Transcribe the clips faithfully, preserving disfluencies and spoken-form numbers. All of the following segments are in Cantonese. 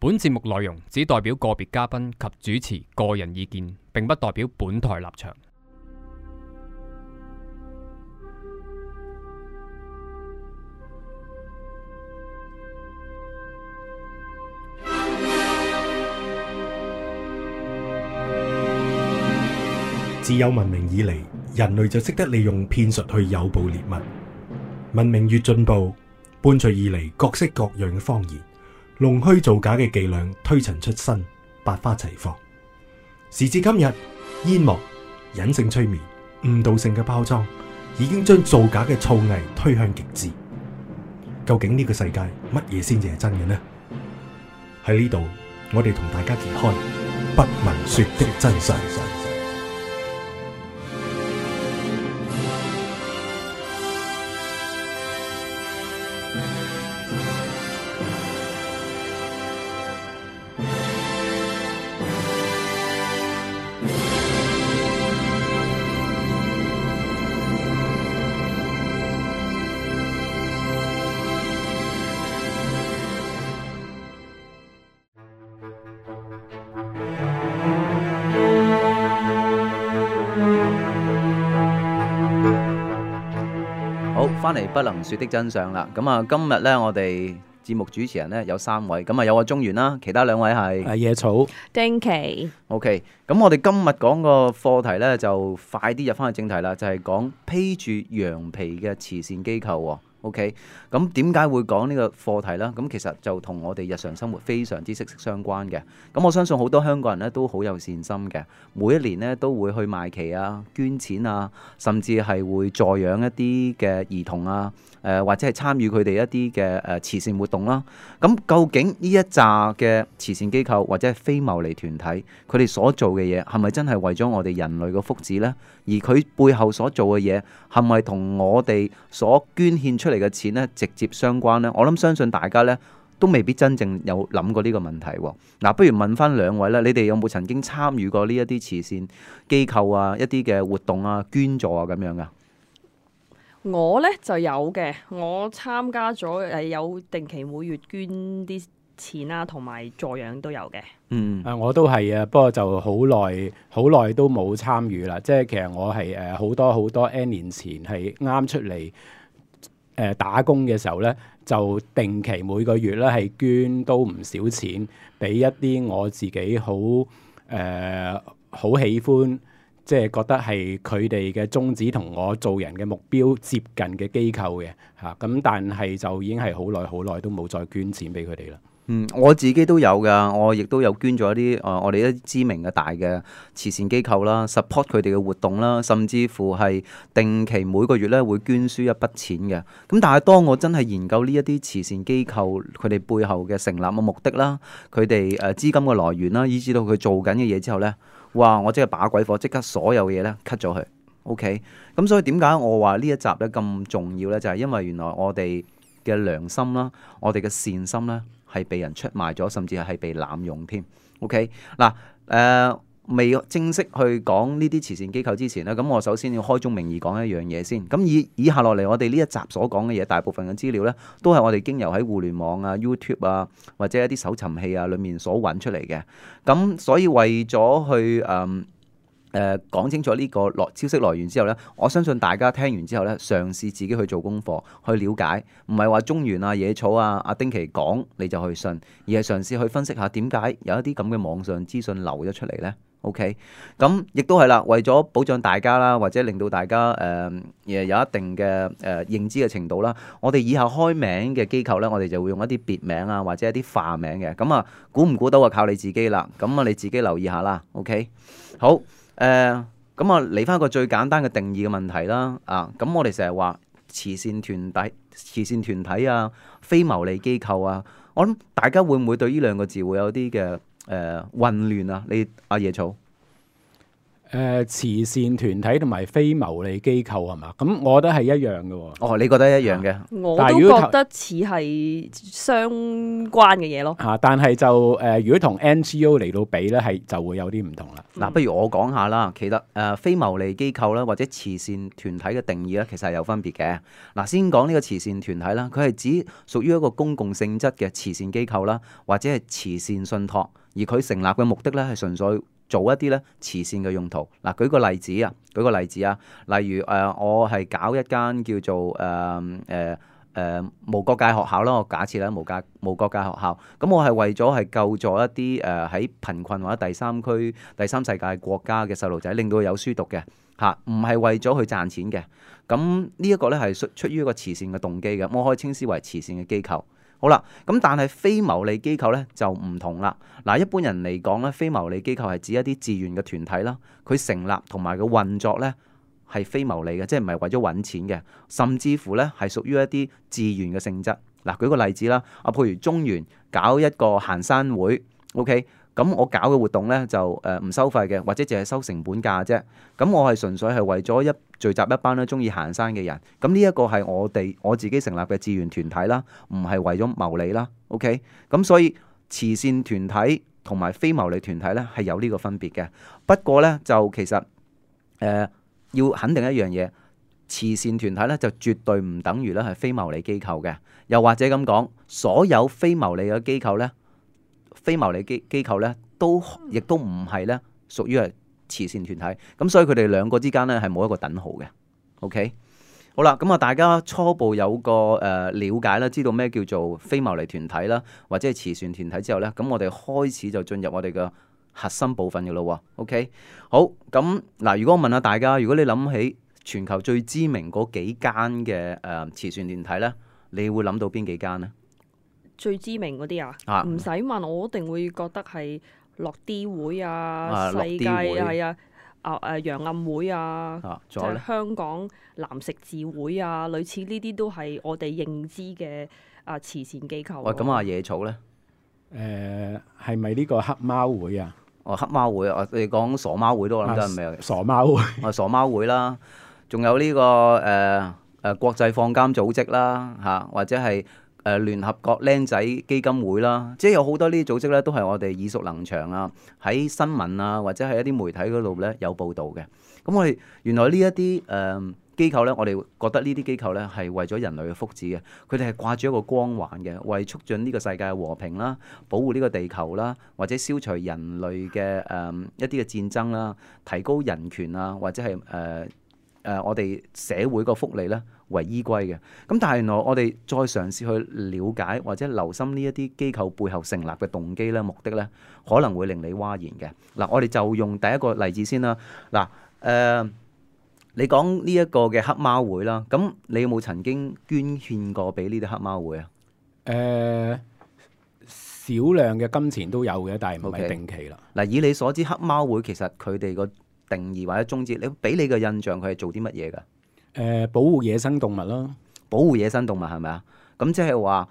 本節目內容只代表個別嘉賓及主持個人意見，並不代表本台立場。自有文明以嚟，人類就識得利用騙術去誘捕獵物。文明越進步，伴隨而嚟各式各樣嘅謊言，弄虛造假嘅伎倆推陳出新，百花齊放。時至今日，煙幕、隱性催眠、誤導性嘅包裝，已經將造假嘅造詣推向極致。究竟呢個世界乜嘢先至係真嘅呢？喺呢度，我哋同大家揭開不聞說的真相。好，翻嚟不能說的真相啦。咁啊，今日咧我哋節目主持人咧有三位，咁啊有個中原啦，其他兩位係啊野草、丁奇。OK，咁我哋今日講個課題咧就快啲入翻去正題啦，就係講披住羊皮嘅慈善機構喎。OK，咁點解會講呢個課題呢？咁其實就同我哋日常生活非常之息息相關嘅。咁我相信好多香港人咧都好有善心嘅，每一年咧都會去賣旗啊、捐錢啊，甚至係會助養一啲嘅兒童啊，誒、呃、或者係參與佢哋一啲嘅誒慈善活動啦。咁究竟呢一紮嘅慈善機構或者係非牟利團體，佢哋所做嘅嘢係咪真係為咗我哋人類嘅福祉呢？而佢背後所做嘅嘢係咪同我哋所捐獻出嚟嘅錢咧直接相關呢？我諗相信大家咧都未必真正有諗過呢個問題喎。嗱，不如問翻兩位啦，你哋有冇曾經參與過呢一啲慈善機構啊、一啲嘅活動啊、捐助啊咁樣噶？我呢就有嘅，我參加咗誒有定期每月捐啲錢啦，同埋助養都有嘅。嗯，啊，我都係啊，不過就好耐好耐都冇參與啦。即係其實我係誒好多好多 N 年前係啱出嚟誒、呃、打工嘅時候咧，就定期每個月咧係捐都唔少錢俾一啲我自己好誒好喜歡，即係覺得係佢哋嘅宗旨同我做人嘅目標接近嘅機構嘅嚇。咁、啊、但係就已經係好耐好耐都冇再捐錢俾佢哋啦。嗯，我自己都有噶，我亦都有捐咗一啲誒、呃，我哋一啲知名嘅大嘅慈善機構啦 ，support 佢哋嘅活動啦，甚至乎係定期每個月咧會捐輸一筆錢嘅。咁但係當我真係研究呢一啲慈善機構佢哋背後嘅成立嘅目的啦，佢哋誒資金嘅來源啦，以至到佢做緊嘅嘢之後咧，哇！我即係把鬼火，即刻所有嘢咧 cut 咗佢。OK，咁所以點解我話呢一集咧咁重要咧？就係、是、因為原來我哋嘅良心啦，我哋嘅善心咧，係被人出賣咗，甚至係被濫用添。OK， 嗱，誒、呃、未正式去講呢啲慈善機構之前咧，咁我首先要開宗明義講一樣嘢先。咁以以下落嚟，我哋呢一集所講嘅嘢，大部分嘅資料咧，都係我哋經由喺互聯網啊、YouTube 啊，或者一啲搜尋器啊裏面所揾出嚟嘅。咁所以為咗去誒，嗯誒、呃、講清楚呢個來消息來源之後呢，我相信大家聽完之後呢，嘗試自己去做功課，去了解，唔係話中原啊、野草啊、阿丁奇講你就去信，而係嘗試去分析下點解有一啲咁嘅網上資訊流咗出嚟呢。OK，咁亦都係啦，為咗保障大家啦，或者令到大家誒誒、呃、有一定嘅誒、呃、認知嘅程度啦，我哋以後開名嘅機構呢，我哋就會用一啲別名啊，或者一啲化名嘅。咁啊，估唔估到啊？靠你自己啦。咁啊，你自己留意下啦。OK，好。誒咁啊，嚟翻一個最簡單嘅定義嘅問題啦。啊，咁我哋成日話慈善團體、慈善團體啊、非牟利機構啊，我諗大家會唔會對呢兩個字會有啲嘅誒混亂啊？你阿野草？誒、誒慈善團體同埋非牟利機構係嘛？咁我覺得係一樣嘅喎。哦，你覺得一樣嘅？我都但係如果覺得似係相關嘅嘢咯。嚇、但係就誒、呃，如果同 N G O 嚟到比咧，係就會有啲唔同啦。嗱，不如我講下啦。其實誒、呃、非牟利機構啦，或者慈善團體嘅定義咧，其實係有分別嘅。嗱，先講呢個慈善團體啦，佢係指屬於一個公共性質嘅慈善機構啦，或者係慈善信託，而佢成立嘅目的咧係純粹做一啲咧慈善嘅用途。嗱，舉個例子啊，舉個例子啊，例如誒、呃，我係搞一間叫做誒誒。呃呃誒、呃、無國界學校啦，我假設咧無界無國界學校，咁我係為咗係救助一啲誒喺貧困或者第三區、第三世界國家嘅細路仔，令到佢有書讀嘅嚇，唔係為咗去賺錢嘅。咁呢一個咧係出出於一個慈善嘅動機嘅，我可以稱之為慈善嘅機構。好啦，咁但係非牟利機構咧就唔同啦。嗱，一般人嚟講咧，非牟利機構係指一啲自願嘅團體啦，佢成立同埋個運作咧係非牟利嘅，即係唔係為咗揾錢嘅，甚至乎咧係屬於一啲自願嘅性質。嗱，舉個例子啦，啊，譬如中原搞一個行山會 ，OK， 咁我搞嘅活動咧就誒唔收費嘅，或者淨係收成本價啫。咁我係純粹係為咗一聚集一班咧中意行山嘅人。咁呢一個係我哋我自己成立嘅自願團體啦，唔係為咗牟利啦。OK，咁所以慈善團體同埋非牟利團體咧係有呢個分別嘅。不過咧就其實誒。呃要肯定一樣嘢，慈善團體咧就絕對唔等於咧係非牟利機構嘅，又或者咁講，所有非牟利嘅機構咧，非牟利機機構咧都亦都唔係咧屬於係慈善團體，咁所以佢哋兩個之間咧係冇一個等號嘅。OK， 好啦，咁啊大家初步有個誒、呃、了解啦，知道咩叫做非牟利團體啦，或者係慈善團體之後咧，咁我哋開始就進入我哋嘅核心部分嘅咯喎，OK， 好，咁嗱，如果我問下大家，如果你諗起全球最知名嗰幾間嘅誒慈善團體咧，你會諗到邊幾間咧？最知名嗰啲啊啊，唔使問，我一定會覺得係樂啲會啊、啊世界樂啲會係啊、啊誒揚暗會啊，啊，即仲有咧係香港藍十字會啊，類似呢啲都係我哋認知嘅啊慈善機構。喂，咁啊野草咧？誒係咪呢個黑貓會啊？哦，黑貓會啊，你講傻貓會都我諗得係咪啊？傻貓會啊，傻貓會啦，仲有呢、這個誒誒、呃呃、國際放監組織啦嚇、啊，或者係誒、呃、聯合國僆仔基金會啦，即係有好多呢啲組織咧，都係我哋耳熟能詳啊，喺新聞啊或者係一啲媒體嗰度咧有報導嘅。咁我哋原來呢一啲誒機構咧，我哋覺得呢啲機構咧係為咗人類嘅福祉嘅，佢哋係掛住一個光環嘅，為促進呢個世界嘅和平啦、保護呢個地球啦，或者消除人類嘅誒、呃、一啲嘅戰爭啦、提高人權啊，或者係誒誒我哋社會個福利咧為依歸嘅。咁但係原來我哋再嘗試去了解或者留心呢一啲機構背後成立嘅動機咧、目的咧，可能會令你嘩然嘅。嗱，我哋就用第一個例子先啦。嗱，誒、呃。你講呢一個嘅黑貓會啦，咁你有冇曾經捐獻過俾呢啲黑貓會啊？誒、呃、少量嘅金錢都有嘅，但係唔係定期啦。嗱，以你所知，黑貓會其實佢哋個定義或者宗旨，你俾你嘅印象佢係做啲乜嘢㗎？誒、呃，保護野生動物咯，保護野生動物係咪啊？咁即係話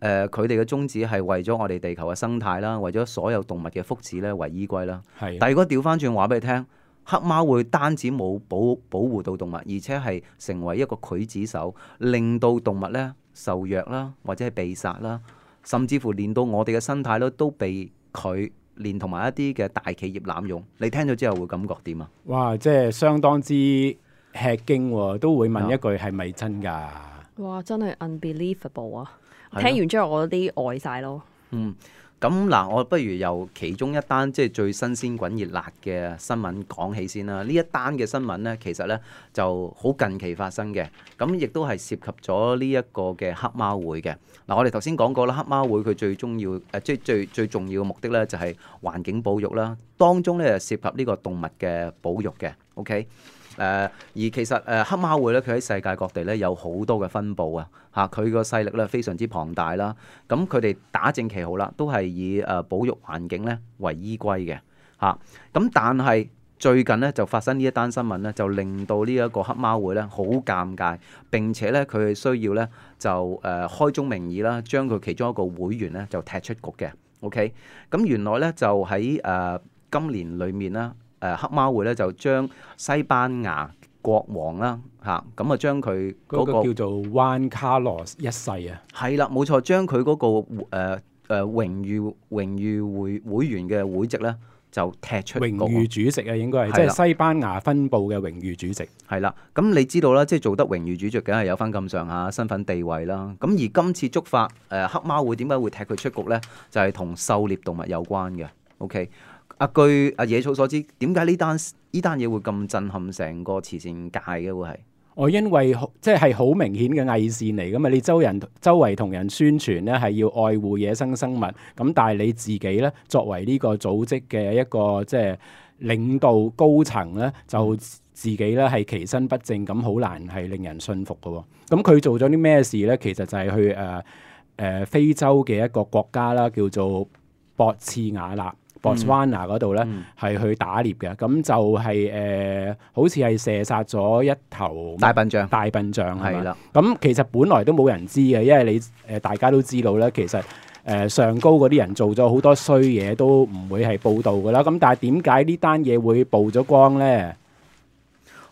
誒，佢哋嘅宗旨係為咗我哋地球嘅生態啦，為咗所有動物嘅福祉咧為依歸啦。係。但係如果調翻轉話俾你聽。黑貓會單止冇保保護到動物，而且係成為一個劊子手，令到動物咧受虐啦，或者係被殺啦，甚至乎連到我哋嘅生態咧都被佢連同埋一啲嘅大企業濫用。你聽咗之後會感覺點啊？哇！即係相當之吃驚喎，都會問一句係咪真㗎？哇！真係 unbelievable 啊！的聽完之後我啲呆晒咯。嗯。咁嗱，我不如由其中一單即係最新鮮滾熱辣嘅新聞講起先啦。呢一單嘅新聞呢，其實呢就好近期發生嘅，咁亦都係涉及咗呢一個嘅黑貓會嘅。嗱，我哋頭先講過啦，黑貓會佢最重要誒，即係最最重要嘅目的呢，就係環境保育啦，當中呢，就涉及呢個動物嘅保育嘅。OK。誒、呃、而其實誒、呃、黑貓會咧，佢喺世界各地咧有好多嘅分佈啊！嚇，佢個勢力咧非常之龐大啦。咁佢哋打正旗號啦，都係以誒、呃、保育環境咧為依歸嘅嚇。咁、啊、但係最近咧就發生呢一單新聞咧，就令到呢一個黑貓會咧好尷尬，並且咧佢係需要咧就誒、呃、開宗明義啦，將佢其中一個會員咧就踢出局嘅。OK，咁原來咧就喺誒、呃今年裏面啦，誒黑貓會咧就將西班牙國王啦嚇，咁啊將佢嗰嗰個個叫做 Juan Carlos 一世啊，係啦，冇錯，將佢嗰個誒誒榮譽榮譽會會員嘅會籍咧就踢出局。榮譽主席啊，應該係係啦即係西班牙分部嘅榮譽主席。係啦，咁你知道啦，即係做得榮譽主席，梗係有翻咁上下身份地位啦。咁而今次觸發誒、呃、黑貓會點解會踢佢出局咧？就係、是、同狩獵動物有關嘅。OK， 啊據阿野草所知，點解呢單呢單嘢會咁震撼成個慈善界嘅會係？我因為即係好明顯嘅偽善嚟噶嘛，你周人周圍同人宣傳咧係要愛護野生生物，咁但係你自己咧作為呢個組織嘅一個即係領導高層咧，就自己咧係其身不正，咁好難係令人信服嘅喎。咁佢做咗啲咩事咧？其實就係去誒誒、呃呃、非洲嘅一個國家啦，叫做博茨瓦納。Botswana 嗰度咧係去打獵嘅，咁就係、是、誒、呃，好似係射殺咗一頭大笨象，大笨象係啦。咁其實本來都冇人知嘅，因為你誒、呃、大家都知道咧，其實誒、呃、上高嗰啲人做咗好多衰嘢，都唔會係報導噶啦。咁但係點解呢單嘢會曝咗光咧？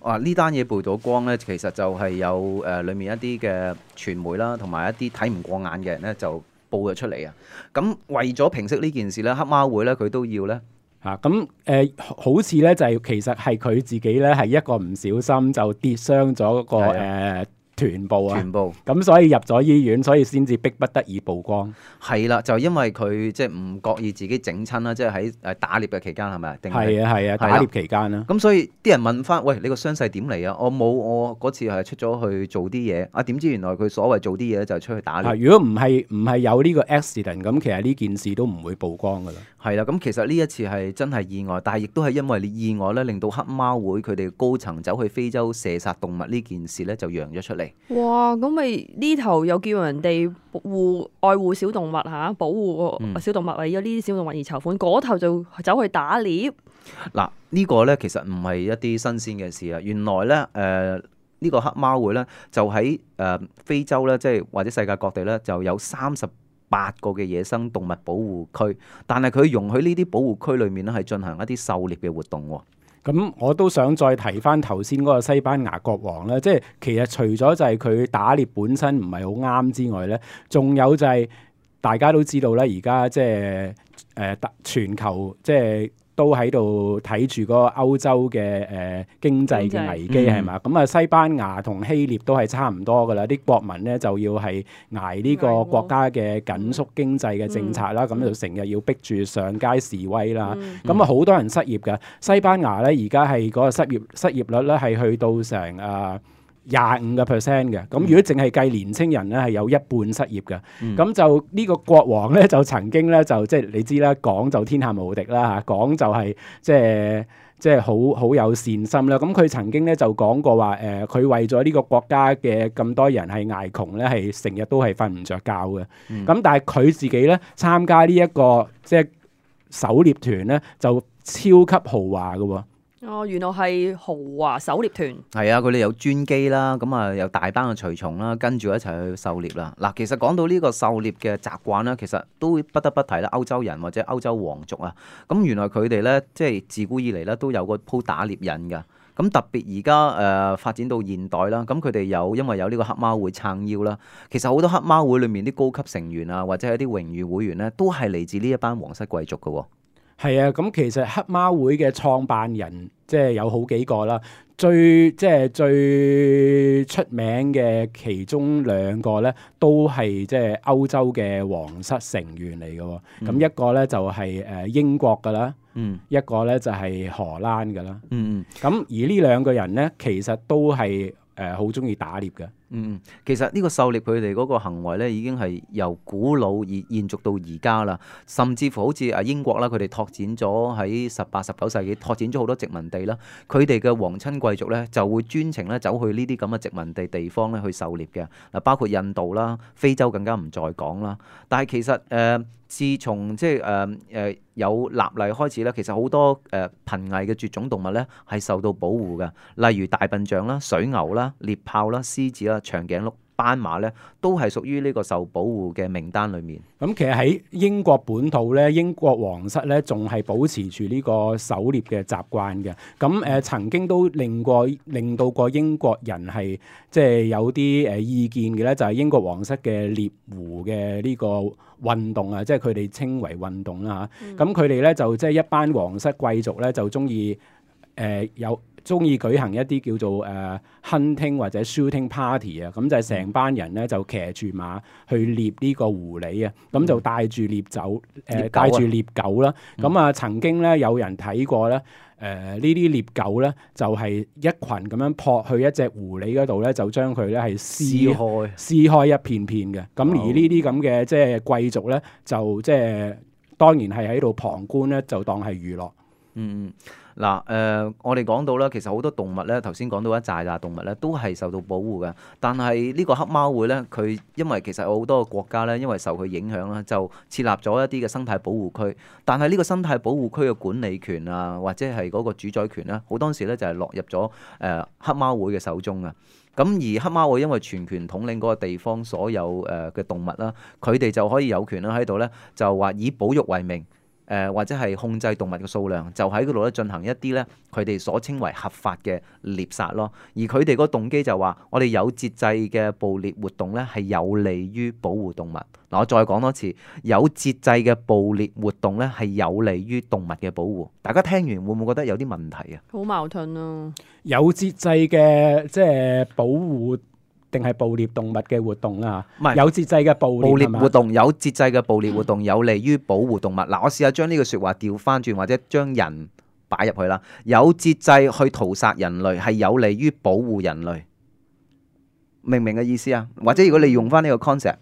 哇！呢單嘢曝咗光咧，其實就係有誒裡、呃、面一啲嘅傳媒啦，同埋一啲睇唔過眼嘅人咧就報咗出嚟啊！咁為咗平息呢件事咧，黑貓會咧佢都要咧嚇咁誒，好似咧就係、是、其實係佢自己咧係一個唔小心就跌傷咗嗰個誒臀部啊，臀部咁所以入咗醫院，所以先至逼不得已曝光。係啦，就因為佢即係唔覺意自己整親啦，即係喺誒打獵嘅期間係咪？定係啊係啊，打獵期間啦。咁所以啲人問翻：喂，你個傷勢點嚟啊？我冇，我嗰次係出咗去做啲嘢啊，點知原來佢所謂做啲嘢就係出去打獵。啊、如果唔係唔係有呢個 accident，咁其實呢件事都唔會曝光噶啦。係啦，咁其實呢一次係真係意外，但係亦都係因為你意外咧，令到黑貓會佢哋高層走去非洲射殺動物呢件事咧就揚咗出嚟。哇！咁咪呢頭又叫人哋護愛護小動物嚇，保護小動物，為咗呢啲小動物而籌款，嗰、嗯、頭就走去打獵。嗱，呢個咧其實唔係一啲新鮮嘅事啊！原來咧誒呢、呃呢個黑貓會咧就喺誒、呃、非洲咧，即係或者世界各地咧就有三十八個嘅野生動物保護區，但係佢容許呢啲保護區裏面咧係進行一啲狩獵嘅活動喎。咁我都想再提翻頭先嗰個西班牙國王咧，即係其實除咗就係佢打獵本身唔係好啱之外咧，仲有就係大家都知道咧，而家即係誒全球即係都喺度睇住嗰個歐洲嘅誒、呃、經濟嘅危機係嘛？咁啊、嗯、西班牙同希臘都係差唔多噶啦，啲國民咧就要係捱呢個國家嘅緊縮經濟嘅政策啦，咁、嗯、就成日要逼住上街示威啦。咁啊好多人失業嘅，西班牙咧而家係嗰個失業失業率咧係去到成啊廿五個 percent 嘅，咁如果淨係計年青人咧，係有一半失業嘅。咁、嗯、就呢個國王咧，就曾經咧就即係你知啦，講就天下無敵啦嚇，講就係、是、即係即係好好有善心啦。咁佢曾經咧就講過話誒，佢、呃、為咗呢個國家嘅咁多人係捱窮咧，係成日都係瞓唔着覺嘅。咁、嗯、但係佢自己咧參加呢、這、一個即係狩獵團咧，就超級豪華嘅喎。哦，原來係豪華狩獵團。係啊，佢哋有專機啦，咁啊有大班嘅隨從啦，跟住一齊去狩獵啦。嗱，其實講到呢個狩獵嘅習慣啦，其實都不得不提啦，歐洲人或者歐洲皇族啊，咁原來佢哋咧即係自古以嚟咧都有個鋪打獵癮㗎。咁特別而家誒發展到現代啦，咁佢哋有因為有呢個黑貓會撐腰啦，其實好多黑貓會裏面啲高級成員啊，或者係啲榮譽會員咧，都係嚟自呢一班皇室貴族㗎喎。係啊，咁其實黑貓會嘅創辦人即係有好幾個啦，最即係最出名嘅其中兩個咧，都係即係歐洲嘅皇室成員嚟嘅。咁、嗯、一個咧就係誒英國噶啦，嗯，一個咧就係荷蘭噶啦，嗯嗯。咁而呢兩個人咧，其實都係誒好中意打獵嘅。嗯，其實呢個狩獵佢哋嗰個行為咧，已經係由古老而延續到而家啦。甚至乎好似啊英國啦，佢哋拓展咗喺十八、十九世紀拓展咗好多殖民地啦。佢哋嘅皇親貴族咧，就會專程咧走去呢啲咁嘅殖民地地方咧去狩獵嘅。嗱，包括印度啦、非洲更加唔再講啦。但係其實誒、呃，自從即係誒誒有立例開始咧，其實好多誒、呃、瀕危嘅絕種動物咧係受到保護嘅，例如大笨象啦、水牛啦、獵豹啦、獅子啦、長頸鹿斑馬咧，都係屬於呢個受保護嘅名單裡面。咁其實喺英國本土咧，英國皇室咧仲係保持住呢個狩獵嘅習慣嘅。咁誒、呃、曾經都令過令到過英國人係即係有啲誒意見嘅咧，就係、是、英國皇室嘅獵狐嘅呢個運動啊，即係佢哋稱為運動啦嚇。咁佢哋咧就即係一班皇室貴族咧就中意誒有。中意舉行一啲叫做誒、uh, hunting 或者 shooting party 啊，咁就係成班人咧就騎住馬去獵呢個狐狸啊，咁就帶住獵酒誒帶住獵狗啦。咁啊曾經咧有人睇過咧誒呢啲獵狗咧就係、是、一群咁樣撲去一隻狐狸嗰度咧，就將佢咧係撕開撕開一片片嘅。咁而呢啲咁嘅即係貴族咧就即係當然係喺度旁觀咧，就當係娛樂。嗯，嗱，誒、呃，我哋講到啦，其實好多動物咧，頭先講到一紮紮動物咧，都係受到保護嘅。但係呢個黑貓會咧，佢因為其實有好多個國家咧，因為受佢影響啦，就設立咗一啲嘅生態保護區。但係呢個生態保護區嘅管理權啊，或者係嗰個主宰權咧，好多時咧就係落入咗誒、呃、黑貓會嘅手中啊。咁而黑貓會因為全權統領嗰個地方所有誒嘅動物啦，佢哋就可以有權啦喺度咧，就話以保育為名。誒、呃、或者係控制動物嘅數量，就喺嗰度咧進行一啲咧佢哋所稱為合法嘅獵殺咯。而佢哋個動機就話，我哋有節制嘅捕獵活動咧係有利於保護動物。嗱，我再講多次，有節制嘅捕獵活動咧係有利於動物嘅保護。大家聽完會唔會覺得有啲問題啊？好矛盾啊！有節制嘅即係保護定係捕獵動物嘅活動啦，唔係有節制嘅捕獵，捕獵活動，有節制嘅捕獵活動有利於保護動物。嗱、嗯，我試下將呢個説話調翻轉，或者將人擺入去啦。有節制去屠殺人類係有利於保護人類，明唔明嘅意思啊？或者如果你用翻呢個 concept，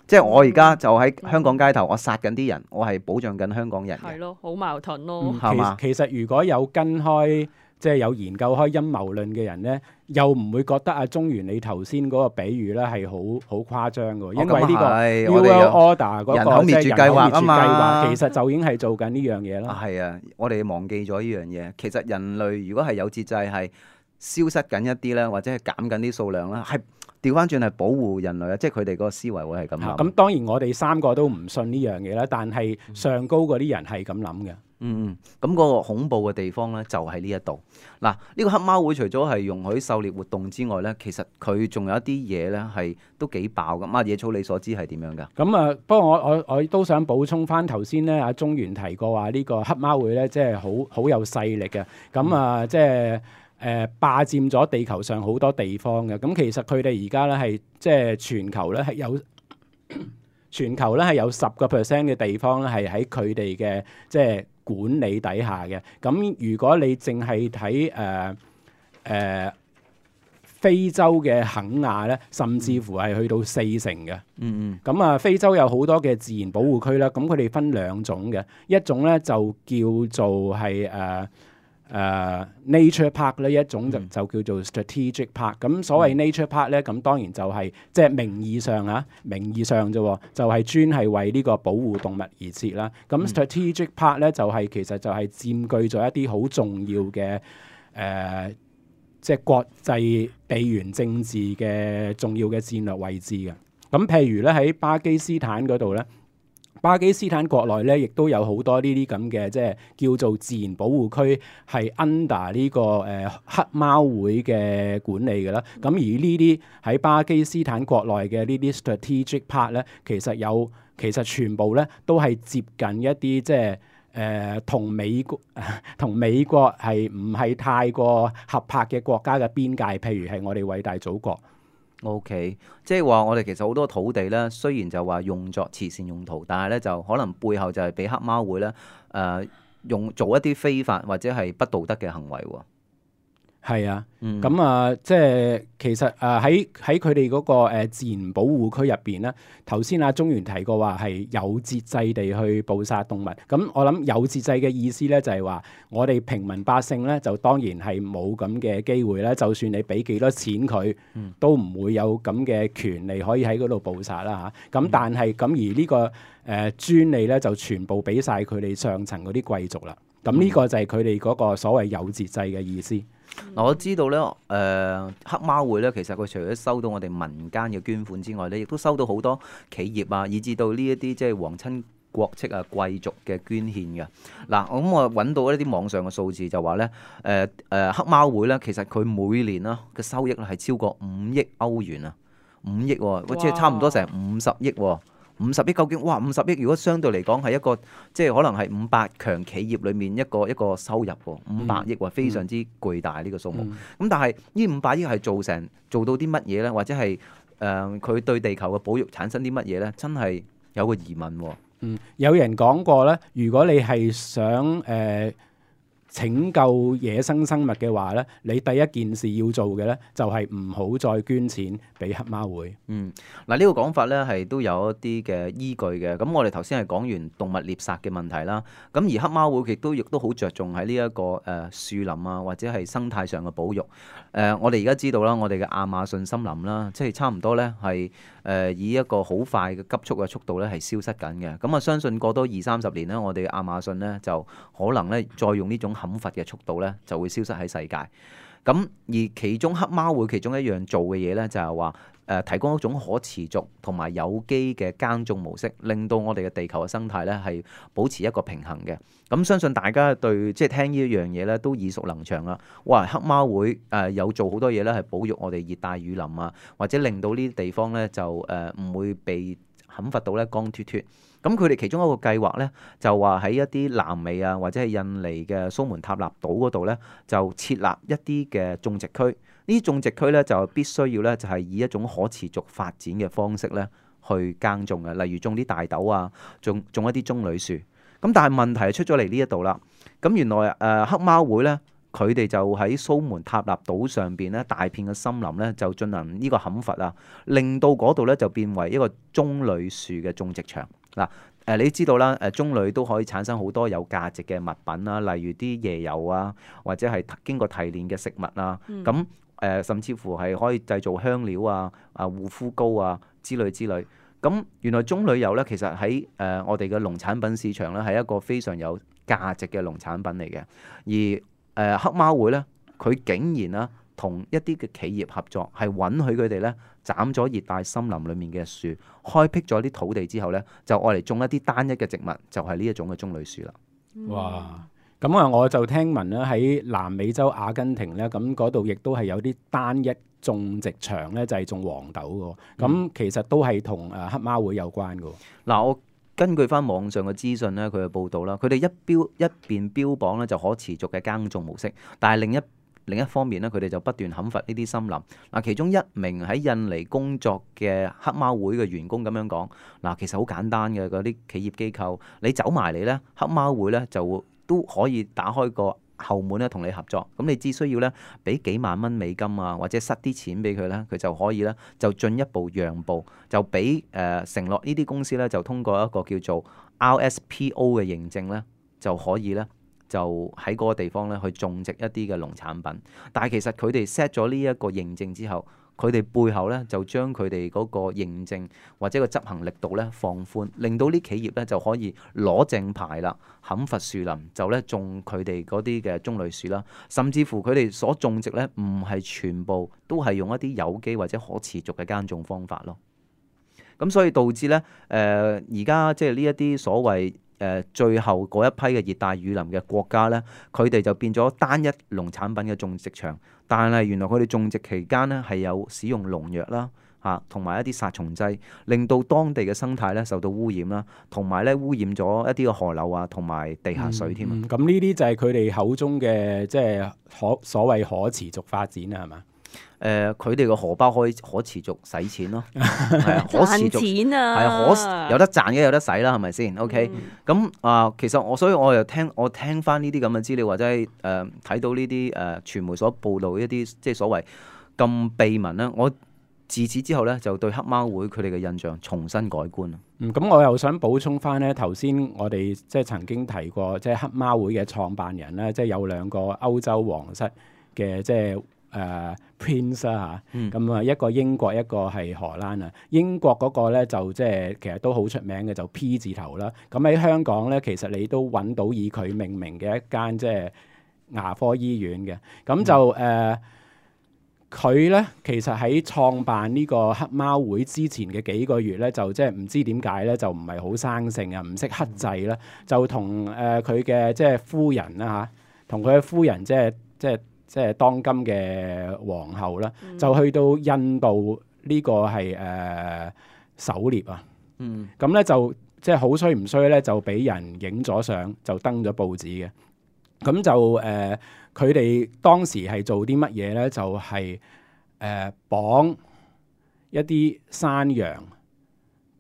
即係我而家就喺香港街頭，我殺緊啲人，我係保障緊香港人嘅。係咯，好矛盾咯，係嘛、嗯？其實如果有跟開。即係有研究開陰謀論嘅人咧，又唔會覺得阿中原你頭先嗰個比喻咧係好好誇張嘅，因為呢個 New World Order 嗰個人口滅絕計劃啊嘛，其實就已經係做緊呢樣嘢啦。係啊，我哋忘記咗呢樣嘢。其實人類如果係有節制，係消失緊一啲咧，或者係減緊啲數量啦，係調翻轉係保護人類啊！即係佢哋嗰個思維會係咁諗。咁當然我哋三個都唔信呢樣嘢啦，但係上高嗰啲人係咁諗嘅。嗯嗯，咁嗰個恐怖嘅地方咧，就喺呢一度。嗱，呢個黑貓會除咗係容許狩獵活動之外咧，其實佢仲有一啲嘢咧係都幾爆㗎。啊，野草你所知係點樣㗎？咁啊，不過我我我都想補充翻頭先咧，阿中原提過話呢個黑貓會咧，即係好好有勢力嘅。咁啊，即係誒霸佔咗地球上好多地方嘅。咁其實佢哋而家咧係即係全球咧係有。全球咧係有十個 percent 嘅地方咧係喺佢哋嘅即係管理底下嘅。咁如果你淨係睇誒誒非洲嘅肯亞咧，甚至乎係去到四成嘅。嗯嗯。咁啊，非洲有好多嘅自然保護區啦。咁佢哋分兩種嘅，一種咧就叫做係誒。呃誒、uh, nature park 咧，一種就就叫做 strategic park。咁所謂 nature park 咧，咁當然就係即係名義上啊，名義上啫，就係專係為呢個保護動物而設啦。咁 strategic park 咧就係、是、其實就係佔據咗一啲好重要嘅誒，即、呃、係、就是、國際地緣政治嘅重要嘅戰略位置嘅。咁譬如咧喺巴基斯坦嗰度咧。巴基斯坦國內咧，亦都有好多呢啲咁嘅，即係叫做自然保護區，係 under 呢個誒黑貓會嘅管理嘅啦。咁而呢啲喺巴基斯坦國內嘅呢啲 strategic park 咧，其實有其實全部咧都係接近一啲即係誒同美國同美國係唔係太過合拍嘅國家嘅邊界，譬如係我哋偉大祖國。O.K. 即係話我哋其實好多土地咧，雖然就話用作慈善用途，但係咧就可能背後就係俾黑貓會咧誒、呃、用做一啲非法或者係不道德嘅行為喎。係啊，咁、嗯、啊，即係其實誒喺喺佢哋嗰個誒自然保護區入邊咧，頭先阿中原提過話係有節制地去捕殺動物。咁我諗有節制嘅意思咧，就係話我哋平民百姓咧，就當然係冇咁嘅機會咧。就算你俾幾多錢佢，嗯、都唔會有咁嘅權利可以喺嗰度捕殺啦嚇。咁、啊、但係咁而呢、呢個誒、呃、專利咧，就全部俾晒佢哋上層嗰啲貴族啦。咁呢個就係佢哋嗰個所謂有節制嘅意思。嗱，我知道咧，誒、呃、黑貓會咧，其實佢除咗收到我哋民間嘅捐款之外咧，亦都收到好多企業啊，以至到呢一啲即係皇親國戚啊、貴族嘅捐獻嘅。嗱，咁我揾到一啲網上嘅數字就話咧，誒、呃、誒、呃、黑貓會咧，其實佢每年啦嘅收益咧係超過五億歐元啊，五億喎、哦，即係差唔多成五十億喎、哦。五十億究竟哇？五十億如果相對嚟講係一個即係可能係五百強企業裏面一個一個收入喎，五百億喎，非常之巨大呢個數目。咁、嗯、但係呢五百億係做成做到啲乜嘢咧？或者係誒佢對地球嘅保育產生啲乜嘢咧？真係有個疑問喎。嗯，有人講過咧，如果你係想誒、呃拯救野生生物嘅話咧，你第一件事要做嘅咧，就係唔好再捐錢俾黑貓會。嗯，嗱、這、呢個講法咧係都有一啲嘅依據嘅。咁我哋頭先係講完動物獵殺嘅問題啦。咁而黑貓會亦都亦都好着重喺呢一個誒、呃、樹林啊，或者係生態上嘅保育。誒、呃，我哋而家知道啦，我哋嘅亞馬遜森林啦，即係差唔多咧係誒以一個好快嘅急速嘅速度咧係消失緊嘅。咁啊，相信過多二三十年咧，我哋嘅亞馬遜咧就可能咧再用呢種砍伐嘅速度咧就會消失喺世界。咁而其中黑貓會其中一樣做嘅嘢咧就係話誒提供一種可持續同埋有機嘅耕種模式，令到我哋嘅地球嘅生態咧係保持一個平衡嘅。咁相信大家對即係聽呢一樣嘢咧都耳熟能詳啦。哇！黑貓會誒、呃、有做好多嘢咧，係保育我哋熱帶雨林啊，或者令到呢啲地方咧就誒唔、呃、會被砍伐到咧光脫脫。咁佢哋其中一個計劃咧，就話喺一啲南美啊，或者係印尼嘅蘇門答臘島嗰度咧，就設立一啲嘅種植區。呢啲種植區咧就必須要咧，就係以一種可持續發展嘅方式咧去耕種嘅，例如種啲大豆啊，種種一啲棕櫚樹。咁但係問題係出咗嚟呢一度啦。咁原來誒、呃、黑貓會咧，佢哋就喺蘇門答臘島上邊咧，大片嘅森林咧就進行呢個砍伐啊，令到嗰度咧就變為一個棕櫚樹嘅種植場。嗱，誒你知道啦，誒棕櫚都可以產生好多有價值嘅物品啦，例如啲椰油啊，或者係經過提煉嘅食物啊，咁誒、嗯、甚至乎係可以製造香料啊、啊護膚膏啊之類之類。咁原來棕櫚油咧，其實喺誒我哋嘅農產品市場咧，係一個非常有價值嘅農產品嚟嘅。而誒黑貓會咧，佢竟然啦同一啲嘅企業合作，係允許佢哋咧斬咗熱帶森林裡面嘅樹，開闢咗啲土地之後咧，就愛嚟種一啲單一嘅植物，就係呢一種嘅棕櫚樹啦。哇！咁啊，我就聽聞咧喺南美洲阿根廷咧，咁嗰度亦都係有啲單一種植場咧，就係種黃豆嘅。咁、嗯、其實都係同誒黑貓會有關嘅。嗱、嗯，我根據翻網上嘅資訊咧，佢嘅報道啦，佢哋一標一邊標榜咧就可持續嘅耕種模式，但係另一另一方面咧，佢哋就不斷砍伐呢啲森林。嗱，其中一名喺印尼工作嘅黑貓會嘅員工咁樣講：嗱，其實好簡單嘅，嗰啲企業機構，你走埋嚟咧，黑貓會咧就會都可以打開個後門咧同你合作。咁你只需要咧俾幾萬蚊美金啊，或者塞啲錢俾佢咧，佢就可以咧就進一步讓步，就俾誒、呃、承諾呢啲公司咧就通過一個叫做 R S P O 嘅認證咧，就可以咧。就喺嗰個地方咧去種植一啲嘅農產品，但係其實佢哋 set 咗呢一個認證之後，佢哋背後咧就將佢哋嗰個認證或者個執行力度咧放寬，令到啲企業咧就可以攞正牌啦，砍伐樹林就咧種佢哋嗰啲嘅棕櫚樹啦，甚至乎佢哋所種植咧唔係全部都係用一啲有機或者可持續嘅耕種方法咯。咁所以導致咧誒而家即係呢一啲所謂誒、呃、最後嗰一批嘅熱帶雨林嘅國家咧，佢哋就變咗單一農產品嘅種植場，但係原來佢哋種植期間咧係有使用農藥啦嚇，同、啊、埋一啲殺蟲劑，令到當地嘅生態咧受到污染啦，同埋咧污染咗一啲嘅河流啊，同埋地下水添啊。咁呢啲就係佢哋口中嘅即係可所謂可持續發展啊，係嘛？誒，佢哋個荷包可以可持續使錢咯，係啊，可持續錢啊，係啊，可有得賺嘅有得使啦，係咪先 ？OK，咁啊、呃，其實我所以我又聽我聽翻呢啲咁嘅資料，或者係誒睇到呢啲誒傳媒所報導一啲即係所謂咁秘聞咧，我自此之後咧就對黑貓會佢哋嘅印象重新改觀啊。嗯，咁我又想補充翻咧，頭先我哋即係曾經提過，即係黑貓會嘅創辦人咧，即係有兩個歐洲皇室嘅即係誒 Prince 啦嚇，嗯咁啊一個英國一個係荷蘭啊。英國嗰個咧就即係其實都好出名嘅，就 P 字頭啦。咁喺香港咧，其實你都揾到以佢命名嘅一間即係牙科醫院嘅。咁就誒佢咧其實喺創辦呢個黑貓會之前嘅幾個月咧，就即係唔知點解咧，就唔係好生性啊，唔識克制啦，就同誒佢嘅即係夫人啦嚇，同佢嘅夫人即係即係。即係當今嘅皇后啦，嗯就去到印度呢個係誒、呃、狩獵啊，嗯咁咧就即係好衰唔衰咧，就俾人影咗相，就登咗報紙嘅。咁就誒佢哋當時係做啲乜嘢咧？就係、是、誒、呃、綁一啲山羊，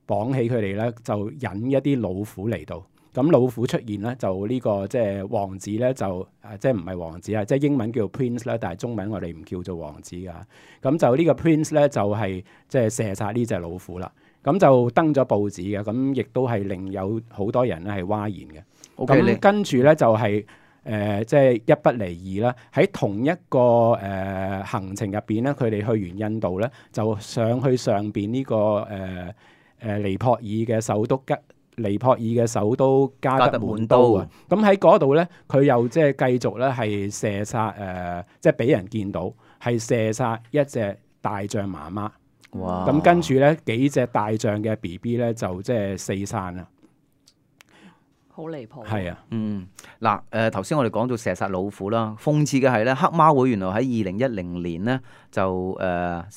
綁起佢哋咧，就引一啲老虎嚟到。咁老虎出現咧，就呢、這個即係王子咧，就誒、啊、即係唔係王子啊？即係英文叫做 Prince 啦，但係中文我哋唔叫做王子噶。咁就呢個 Prince 咧，就係、是、即係射殺呢隻老虎啦。咁就登咗報紙嘅，咁亦都係令有好多人咧係譁然嘅。咁 OK，跟住咧就係、是、誒、呃、即係一不離二啦。喺同一個誒、呃、行程入邊咧，佢哋去完印度咧，就上去上邊呢、這個誒誒、呃呃、尼泊爾嘅首都吉。尼泊爾嘅首都加德滿都啊，咁喺嗰度咧，佢又即係繼續咧係射殺誒、呃，即係俾人見到係射殺一隻大象媽媽。哇！咁跟住咧幾隻大象嘅 B B 咧就即係四散啦。好離譜。係啊，嗯，嗱，誒頭先我哋講到射殺老虎啦，諷刺嘅係咧，黑貓會原來喺二零一零年咧就誒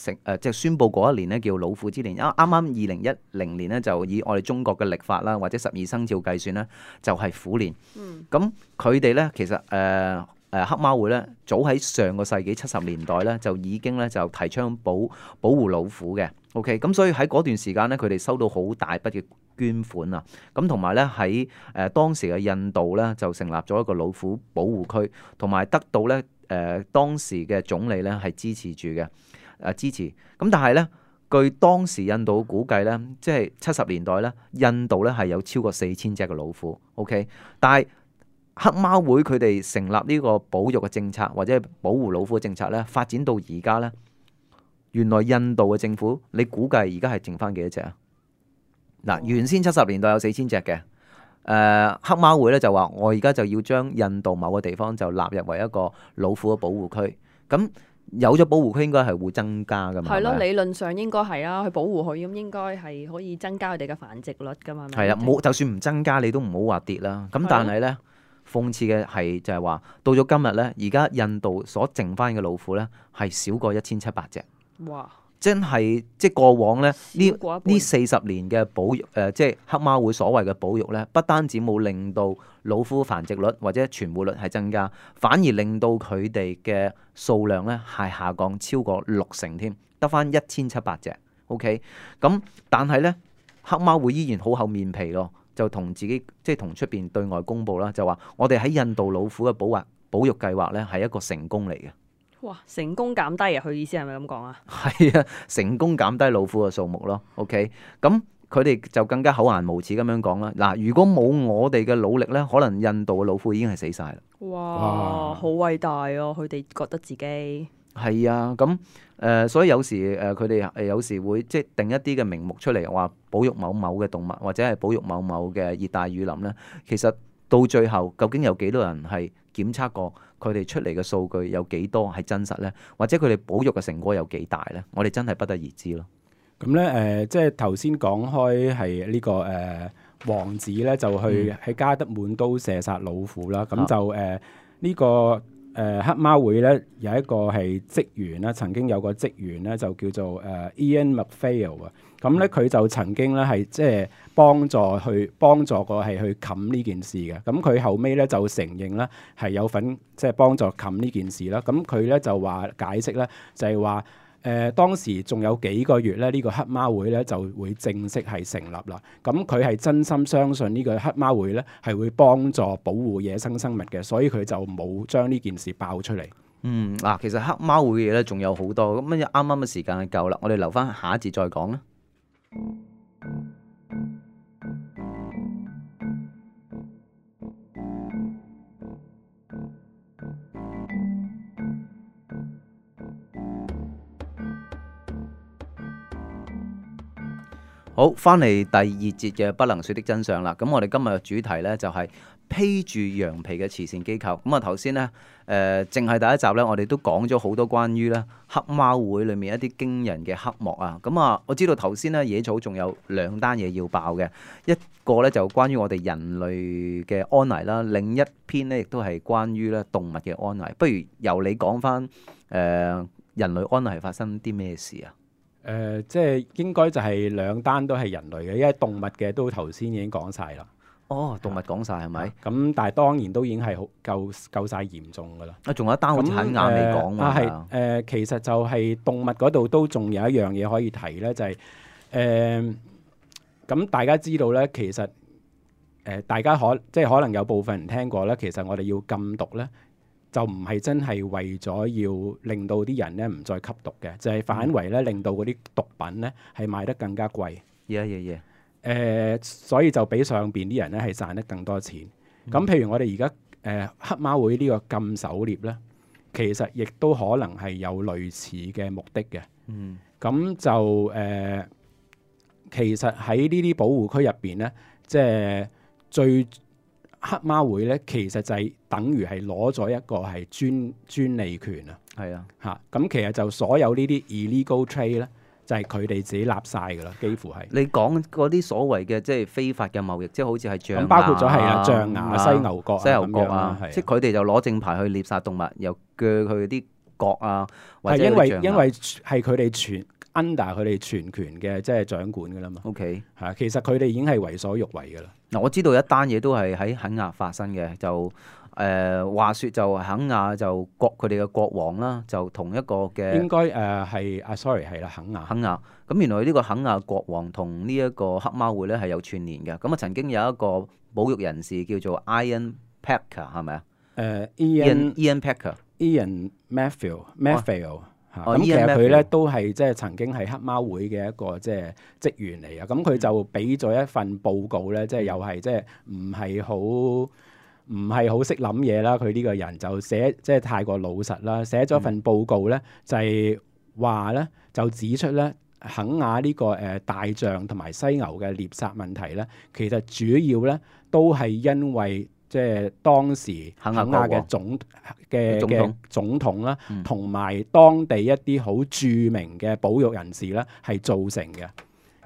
成誒即係宣佈嗰一年咧叫老虎之年，啱啱啱二零一零年咧就以我哋中國嘅曆法啦，或者十二生肖計算咧，就係、是、虎年。嗯。咁佢哋咧其實誒誒、呃呃、黑貓會咧，早喺上個世紀七十年代咧就已經咧就提倡保保護老虎嘅。OK，咁所以喺嗰段時間咧，佢哋收到好大筆嘅捐款啊，咁同埋咧喺誒當時嘅印度咧就成立咗一個老虎保護區，同埋得到咧誒、呃、當時嘅總理咧係支持住嘅誒支持。咁但係咧，據當時印度估計咧，即係七十年代咧，印度咧係有超過四千隻嘅老虎。OK，但係黑貓會佢哋成立呢個保育嘅政策或者係保護老虎嘅政策咧，發展到而家咧。原來印度嘅政府，你估計而家係剩翻幾多隻啊？嗱，原先七十年代有四千隻嘅，誒、呃、黑貓會咧就話我而家就要將印度某個地方就納入為一個老虎嘅保護區。咁有咗保護區應該係會增加噶嘛？係咯，係咪理論上應該係啊，去保護佢咁應該係可以增加佢哋嘅繁殖率噶嘛。係啊，冇就算唔增加，你都唔好話跌啦。咁但係咧，諷刺嘅係就係話，到咗今日咧，而家印度所剩翻嘅老虎咧係少過一千七百隻。哇！真係即係過往咧呢少過一半呢四十年嘅保育誒、呃，即係黑貓會所謂嘅保育咧，不單止冇令到老虎繁殖率或者存活率係增加，反而令到佢哋嘅數量咧係下降超過六成添，得翻一千七百隻。OK，咁但係咧黑貓會依然好厚面皮咯，就同自己即係同出邊對外公佈啦，就話我哋喺印度老虎嘅保護保育計劃咧係一個成功嚟嘅。哇！成功減低啊！佢意思係咪咁講啊？係啊，成功減低老虎嘅數目咯。OK，咁佢哋就更加厚顏無恥咁樣講啦。嗱，如果冇我哋嘅努力咧，可能印度嘅老虎已經係死晒啦。哇！哇好偉大哦！佢哋覺得自己係啊，咁誒、呃，所以有時誒，佢哋誒有時會即係定一啲嘅名目出嚟，話保育某某嘅動物，或者係保育某某嘅熱帶雨林咧。其實到最後，究竟有幾多人係檢測過？佢哋出嚟嘅數據有幾多係真實呢？或者佢哋保育嘅成果有幾大呢？我哋真係不得而知咯。咁咧誒，即係頭先講開係呢個誒、呃、王子咧，就去喺加德滿都射殺老虎啦。咁、嗯、就誒呢、呃這個誒、呃、黑貓會咧有一個係職員啦，曾經有個職員咧就叫做誒、呃、Ian McPhail 啊。咁咧佢就曾經咧係即係幫助去幫助過係去冚呢件事嘅。咁佢後尾咧就承認咧係有份即係幫助冚呢件事啦。咁佢咧就話解釋咧就係話誒當時仲有幾個月咧，呢、這個黑貓會咧就會正式係成立啦。咁佢係真心相信呢個黑貓會咧係會幫助保護野生生物嘅，所以佢就冇將呢件事爆出嚟。嗯，嗱，其實黑貓會嘅嘢咧仲有好多，咁啱啱嘅時間係夠啦，我哋留翻下一節再講啦。好，翻嚟第二節嘅不能說的真相啦。咁我哋今日嘅主題呢，就係披住羊皮嘅慈善機構。咁啊頭先呢，誒淨係第一集呢，我哋都講咗好多關於呢黑貓會裏面一啲驚人嘅黑幕啊。咁啊，我知道頭先呢，野草仲有兩單嘢要爆嘅，一個呢，就關於我哋人類嘅安危啦，另一篇呢，亦都係關於咧動物嘅安危。不如由你講翻誒人類安危係發生啲咩事啊？誒、呃，即係應該就係兩單都係人類嘅，因為動物嘅都頭先已經講晒啦。哦，動物講晒係咪？咁但係當然都已經係好夠夠曬嚴重㗎啦。啊，仲有一單好似很晏未講喎。啊，係誒，其實就係動物嗰度都仲有一樣嘢可以提咧，就係誒咁大家知道咧，其實誒、呃、大家可即係可能有部分人聽過咧，其實我哋要禁毒咧。就唔係真係為咗要令到啲人咧唔再吸毒嘅，就係、是、反為咧令到嗰啲毒品咧係賣得更加貴。嘢嘢嘢。誒，所以就俾上邊啲人咧係賺得更多錢。咁、嗯、譬如我哋而家誒黑貓會呢個禁狩獵咧，其實亦都可能係有類似嘅目的嘅。嗯。咁就誒、呃，其實喺呢啲保護區入邊咧，即係最黑貓會咧，其實就係等於係攞咗一個係專專利權啊。係啊，嚇咁其實就所有呢啲 illegal trade 咧，就係佢哋自己立晒噶啦，幾乎係。你講嗰啲所謂嘅即係非法嘅貿易，即係好似係象牙，包括咗係啊象牙、犀牛角、犀牛角啊，啊即係佢哋就攞正牌去獵殺動物，又鋸佢啲角啊，或者因為因為係佢哋全 under 佢哋全權嘅即係掌管噶啦嘛。OK， 係其實佢哋已經係為所欲為噶啦。嗱，我知道一單嘢都係喺肯亞發生嘅，就誒、呃、話説就肯亞就國佢哋嘅國王啦，就同一個嘅應該誒係啊 sorry 係啦肯亞肯亞。咁原來呢個肯亞國王同呢一個黑貓會咧係有串連嘅。咁啊曾經有一個保育人士叫做 Ian Packer 係咪啊？誒 Ian Ian Packer Ian Matthew Matthew。咁、哦、其實佢咧都係即係曾經係黑貓會嘅一個即係職員嚟啊！咁佢就俾咗一份報告咧，即係又係即係唔係好唔係好識諗嘢啦。佢呢個人就寫即係太過老實啦，寫咗份報告咧，就係話咧就指出咧肯亞呢個誒大象同埋犀牛嘅獵殺問題咧，其實主要咧都係因為即係當時肯亞嘅總嘅嘅總統啦，同埋、嗯、當地一啲好著名嘅保育人士咧，係造成嘅。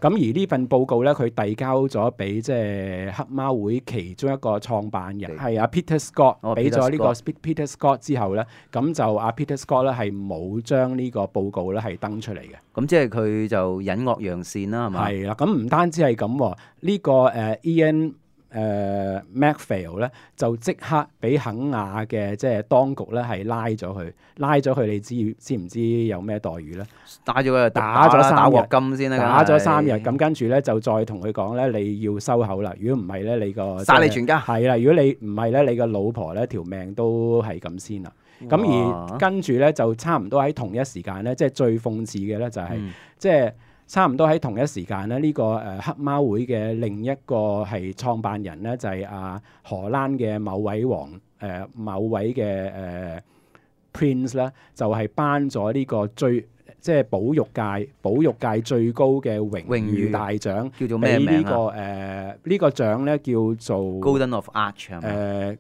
咁而呢份報告咧，佢遞交咗俾即係黑貓會其中一個創辦人，係阿 Peter Scott，俾咗呢個 Peter Scott 之後咧，咁就阿 Peter Scott 咧係冇將呢個報告咧係登出嚟嘅。咁即係佢就隱惡揚善啦，係嘛？係啦，咁唔單止係咁，呢、呢個誒、uh, Ian。誒、uh, Macphail 咧就即刻俾肯亞嘅即係當局咧係拉咗佢，拉咗佢，你知知唔知有咩待遇咧？帶咗佢打咗三日，打鑊金先啦，打咗三日，咁跟住咧就再同佢講咧，你要收口啦。如果唔係咧，你個殺你全家係啦。如果你唔係咧，你個老婆咧條命都係咁先啦。咁而跟住咧就差唔多喺同一時間咧，即係最諷刺嘅咧就係、是嗯、即係。差唔多喺同一時間咧，呢、這個誒、呃、黑貓會嘅另一個係創辦人咧，就係、是、啊荷蘭嘅某位王誒、呃、某位嘅誒、呃、Prince 咧，就係頒咗呢個最即係保育界保育界最高嘅榮譽大獎，叫做咩名啊？呢、這個誒呢、呃這個獎咧叫做 Golden of Arch 係咪？誒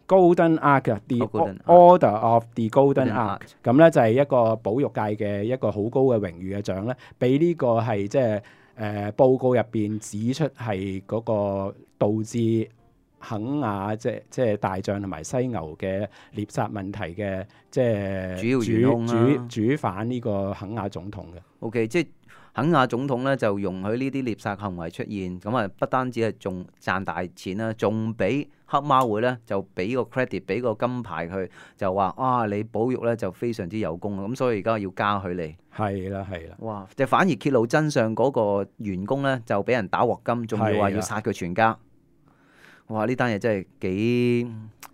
Golden Arch，The Order of the Golden Arch， 咁咧就係一個保育界嘅一個好高嘅榮譽嘅獎咧，俾呢個係即係誒報告入邊指出係嗰個導致肯亞即即係大象同埋犀牛嘅獵殺問題嘅即係主要元兇啦，主主犯呢個肯亞總統嘅。O.K. 即係肯亞總統咧就容許呢啲獵殺行為出現，咁啊不單止係仲賺大錢啦，仲俾黑貓會咧就俾個 credit，俾個金牌佢，就話啊你保育咧就非常之有功，咁所以而家要加佢你。係啦係啦。哇！即係反而揭露真相嗰個員工咧就俾人打鑊金，仲要話要殺佢全家。哇！呢單嘢真係幾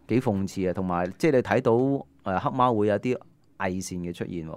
幾諷刺啊，同埋即係你睇到誒黑貓會有啲偽善嘅出現。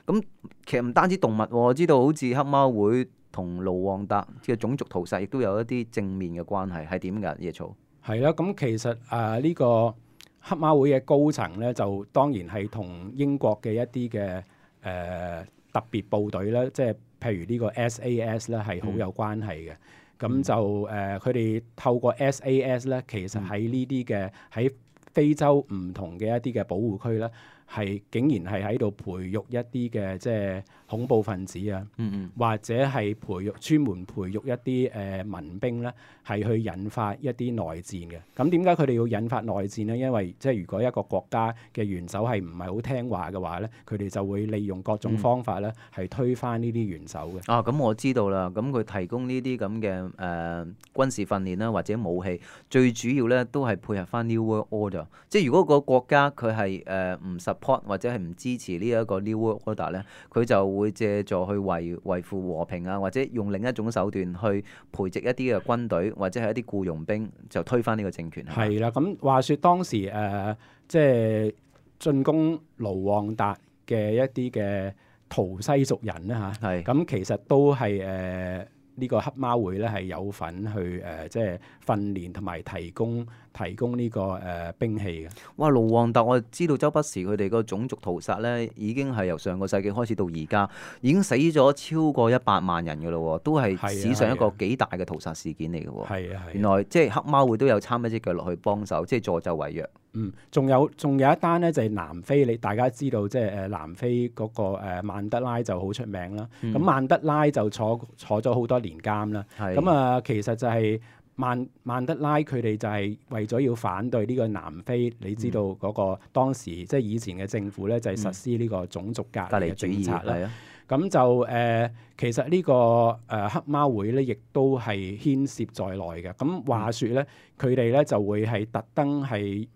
咁其實唔單止動物，我知道好似黑貓會同盧旺達嘅種族屠殺，亦都有一啲正面嘅關係，係點㗎？野草係啦，咁其實誒呢、呃這個黑貓會嘅高層咧，就當然係同英國嘅一啲嘅誒特別部隊咧，即係譬如呢個 S A S 咧係好有關係嘅。咁、嗯、就誒佢哋透過 S A S 咧，其實喺呢啲嘅喺非洲唔同嘅一啲嘅保護區咧，係竟然係喺度培育一啲嘅即係恐怖分子啊，嗯嗯或者係培育專門培育一啲誒、呃、民兵咧，係去引發一啲內戰嘅。咁點解佢哋要引發內戰咧？因為即係如果一個國家嘅元首係唔係好聽話嘅話咧，佢哋就會利用各種方法咧，係、嗯、推翻呢啲元首嘅。啊，咁我知道啦。咁佢提供呢啲咁嘅誒軍事訓練啦，或者武器，最主要咧都係配合翻 New World Order。即係如果個國家佢係誒唔 support 或者係唔支持呢一個 New World Order 咧，佢就會借助去維維護和平啊，或者用另一種手段去培植一啲嘅軍隊或者係一啲僱傭兵，就推翻呢個政權。係啦，咁話說當時誒、呃、即係進攻盧旺達嘅一啲嘅圖西族人咧嚇，係咁其實都係誒。呃呢個黑貓會咧係有份去誒、呃，即係訓練同埋提供提供呢、這個誒、呃、兵器嘅。哇！盧旺達我知道周不時佢哋個種族屠殺咧，已經係由上個世紀開始到而家，已經死咗超過一百萬人嘅咯，都係史上一個幾大嘅屠殺事件嚟嘅喎。係啊，原來即係黑貓會都有參一隻腳落去幫手，即係助紂為虐。嗯，仲有仲有一單咧，就係、是、南非，你大家知道即係誒南非嗰、那個誒、呃、曼德拉就好出名啦。咁、嗯、曼德拉就坐坐咗好多年監啦。咁啊，其實就係曼曼德拉佢哋就係為咗要反對呢個南非，你知道嗰、那個、嗯、當時即係以前嘅政府咧，就係、是、實施呢個種族隔離嘅政策啦。咁就誒、呃，其實呢、這個誒、呃、黑貓會咧，亦都係牽涉在內嘅。咁話說咧，佢哋咧就會係特登係。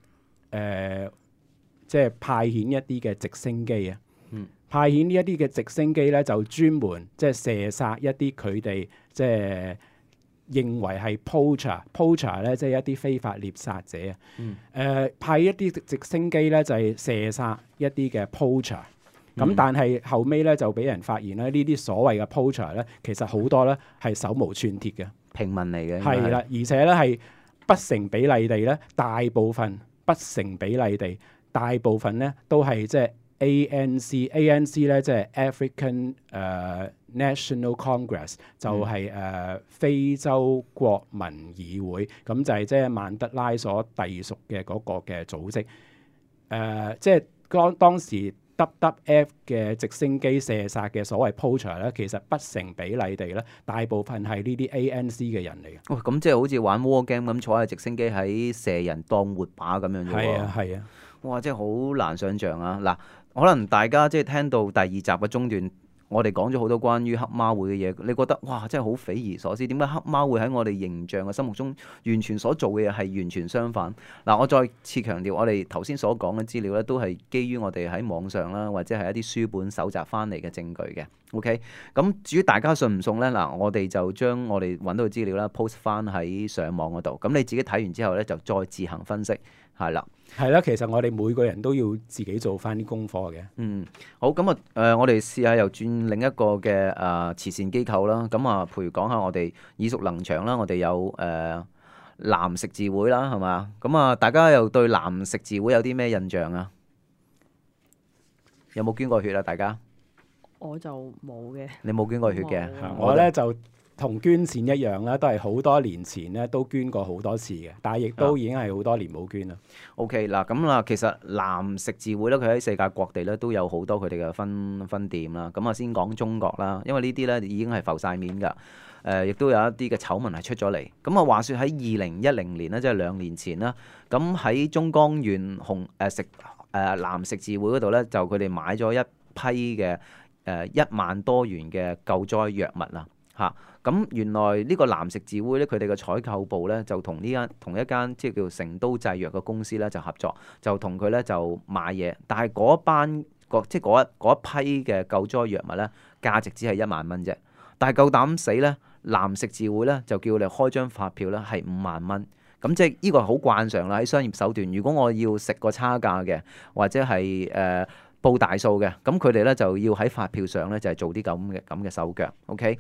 誒、呃，即係派遣一啲嘅直升機啊，嗯、派遣呢一啲嘅直升機咧，就專門即係射殺一啲佢哋即係認為係 poacher，poacher 咧即係一啲非法獵殺者啊。誒、嗯呃，派一啲直升機咧就係、是、射殺一啲嘅 poacher，咁但係後尾咧就俾人發現咧，呢啲所謂嘅 poacher 咧，其實好多咧係手無寸鐵嘅平民嚟嘅，係啦，而且咧係不成比例地咧，大部分。不成比例地，大部分咧都係即係 A N C，A N C 咧即係 African 誒、uh, National Congress，就係、是、誒、uh, 非洲國民議會，咁就係即係曼德拉所隸屬嘅嗰個嘅組織。誒、uh, 即係當當時 W W F 嘅直升機射殺嘅所謂 poacher 咧，其實不成比例地咧，大部分係呢啲 A N C 嘅人嚟嘅。哇！咁即係好似玩 war game 咁，坐喺直升機喺射人當活靶咁樣啫喎。係啊，係啊。哇！真係好難想像啊！嗱，可能大家即係聽到第二集嘅中段。我哋講咗好多關於黑貓會嘅嘢，你覺得哇真係好匪夷所思？點解黑貓會喺我哋形象嘅心目中完全所做嘅嘢係完全相反？嗱，我再次強調，我哋頭先所講嘅資料咧，都係基於我哋喺網上啦，或者係一啲書本搜集翻嚟嘅證據嘅。OK，咁至於大家信唔信咧？嗱，我哋就將我哋揾到嘅資料啦 post 翻喺上網嗰度，咁你自己睇完之後咧，就再自行分析。係啦，係啦，其實我哋每個人都要自己做翻啲功課嘅。嗯，好，咁啊，誒、呃，我哋試下又轉另一個嘅誒、呃、慈善機構啦。咁啊，譬如講下我哋耳熟能詳啦，我哋有誒、呃、藍十字會啦，係嘛？咁啊，大家又對藍十字會有啲咩印象啊？有冇捐過血啊？大家？我就冇嘅。你冇捐過血嘅？我咧就。同捐錢一樣啦，都係好多年前咧都捐過好多次嘅，但係亦都已經係好多年冇捐啦。OK，嗱咁啦，其實藍十字會咧，佢喺世界各地咧都有好多佢哋嘅分分店啦。咁啊，先講中國啦，因為呢啲咧已經係浮晒面㗎。誒、呃，亦都有一啲嘅醜聞係出咗嚟。咁啊，話説喺二零一零年咧，即係兩年前啦，咁喺中江縣紅誒食誒藍十字會嗰度咧，就佢哋買咗一批嘅誒、呃、一萬多元嘅救災藥物啦。嚇！咁原來呢個藍十字會咧，佢哋嘅採購部咧就同呢間同一間即係叫成都製藥嘅公司咧就合作，就同佢咧就買嘢。但係嗰班個即係嗰一嗰一批嘅救災藥物咧，價值只係一萬蚊啫。但係夠膽死咧，藍十字會咧就叫你開張發票咧係五萬蚊。咁即係呢個好慣常啦，喺商業手段。如果我要食個差價嘅，或者係誒、呃、報大數嘅，咁佢哋咧就要喺發票上咧就係做啲咁嘅咁嘅手腳。OK。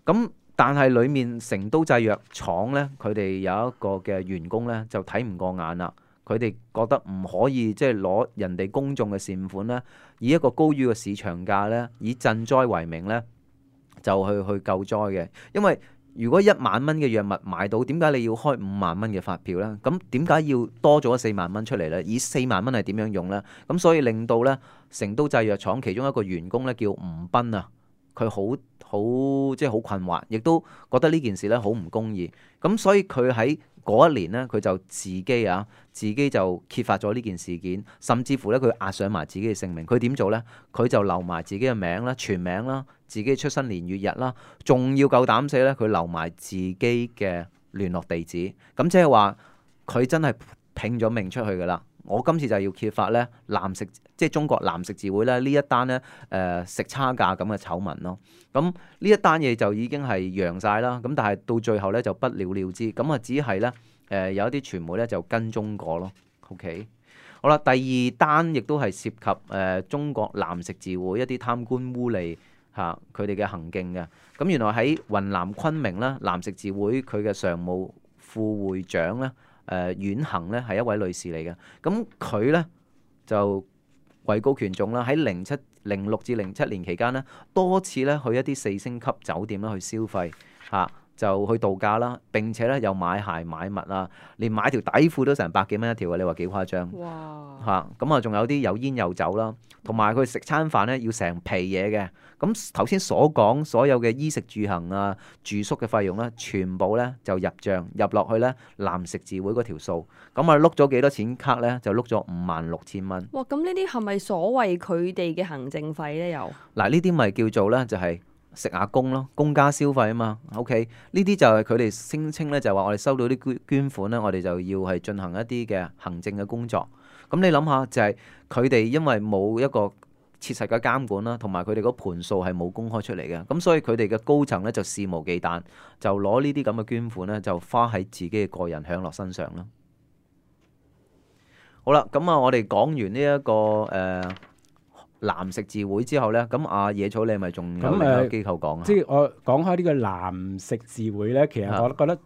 咁但係裡面成都製藥廠咧，佢哋有一個嘅員工咧就睇唔過眼啦。佢哋覺得唔可以即係攞人哋公眾嘅善款咧，以一個高於嘅市場價咧，以賑災為名咧，就去去救災嘅。因為如果一萬蚊嘅藥物買到，點解你要開五萬蚊嘅發票呢？咁點解要多咗四萬蚊出嚟呢？以四萬蚊係點樣用呢？咁所以令到呢成都製藥廠其中一個員工呢，叫吳斌啊，佢好好即係好困惑，亦都覺得呢件事呢好唔公義。咁所以佢喺嗰一年呢，佢就自己啊，自己就揭發咗呢件事件，甚至乎咧佢押上埋自己嘅性命。佢點做呢？佢就留埋自己嘅名啦、全名啦、自己出生年月日啦，仲要夠膽死咧，佢留埋自己嘅聯絡地址。咁即係話佢真係拼咗命出去噶啦。我今次就要揭發咧藍食，即係中國藍食字會咧呢一單咧誒、呃、食差價咁嘅醜聞咯。咁呢一單嘢就已經係揚晒啦。咁但係到最後咧就不了了之。咁啊只係咧誒有一啲傳媒咧就跟蹤過咯。OK， 好啦，第二單亦都係涉及誒、呃、中國藍食字會一啲貪官污吏嚇佢哋嘅行徑嘅。咁原來喺雲南昆明啦，藍食字會佢嘅常務副會長咧。誒阮恒咧係一位女士嚟嘅，咁佢咧就位高權重啦，喺零七零六至零七年期間咧，多次咧去一啲四星級酒店啦去消費嚇、啊，就去度假啦，並且咧又買鞋買襪啊，連買條底褲都成百幾蚊一條啊！你話幾誇張？哇！嚇咁啊，仲有啲有煙有酒啦，同埋佢食餐飯咧要成皮嘢嘅。咁頭先所講所有嘅衣食住行啊、住宿嘅費用咧，全部咧就入帳入落去咧藍食字會嗰條數。咁啊碌咗幾多錢卡咧？就碌咗五萬六千蚊。哇！咁呢啲係咪所謂佢哋嘅行政費咧？又嗱，呢啲咪叫做咧就係、是。食下工咯，公家消費啊嘛。OK，呢啲就係佢哋聲稱咧，就係話我哋收到啲捐捐款咧，我哋就要係進行一啲嘅行政嘅工作。咁你諗下，就係佢哋因為冇一個切實嘅監管啦，同埋佢哋嗰盤數係冇公開出嚟嘅，咁所以佢哋嘅高層咧就肆無忌憚，就攞呢啲咁嘅捐款咧，就花喺自己嘅個人享樂身上啦。好啦，咁啊，我哋講完呢、這、一個誒。呃藍食字會之後咧，咁阿野草你係咪仲有另一個機構講啊？即係我講開呢個藍食字會咧，其實我覺得、啊、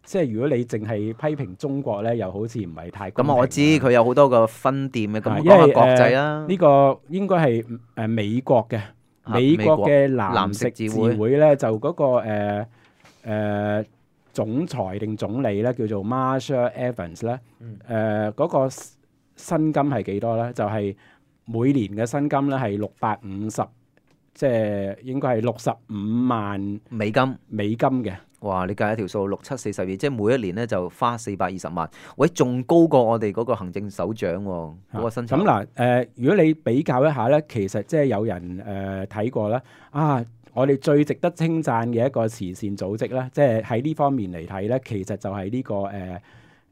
即係如果你淨係批評中國咧，又好似唔係太公平。咁我知佢有好多個分店嘅，咁講下國際啦。呢、呃這個應該係誒美國嘅、啊、美國嘅藍食字會咧，就嗰、那個誒誒、呃呃、總裁定總理咧，叫做 Marsha Evans 咧、嗯，誒嗰、呃那個薪金係幾多咧？就係、是。每年嘅薪金咧係六百五十，即係應該係六十五萬美金。美金嘅，哇！你計一條數，六七四十二，即係每一年咧就花四百二十萬。喂，仲高過我哋嗰個行政首長喎、哦，嗰、啊、個薪酬。咁嗱，誒、呃，如果你比較一下咧，其實即係有人誒睇、呃、過啦。啊，我哋最值得稱讚嘅一個慈善組織咧，即係喺呢方面嚟睇咧，其實就係呢、這個誒。呃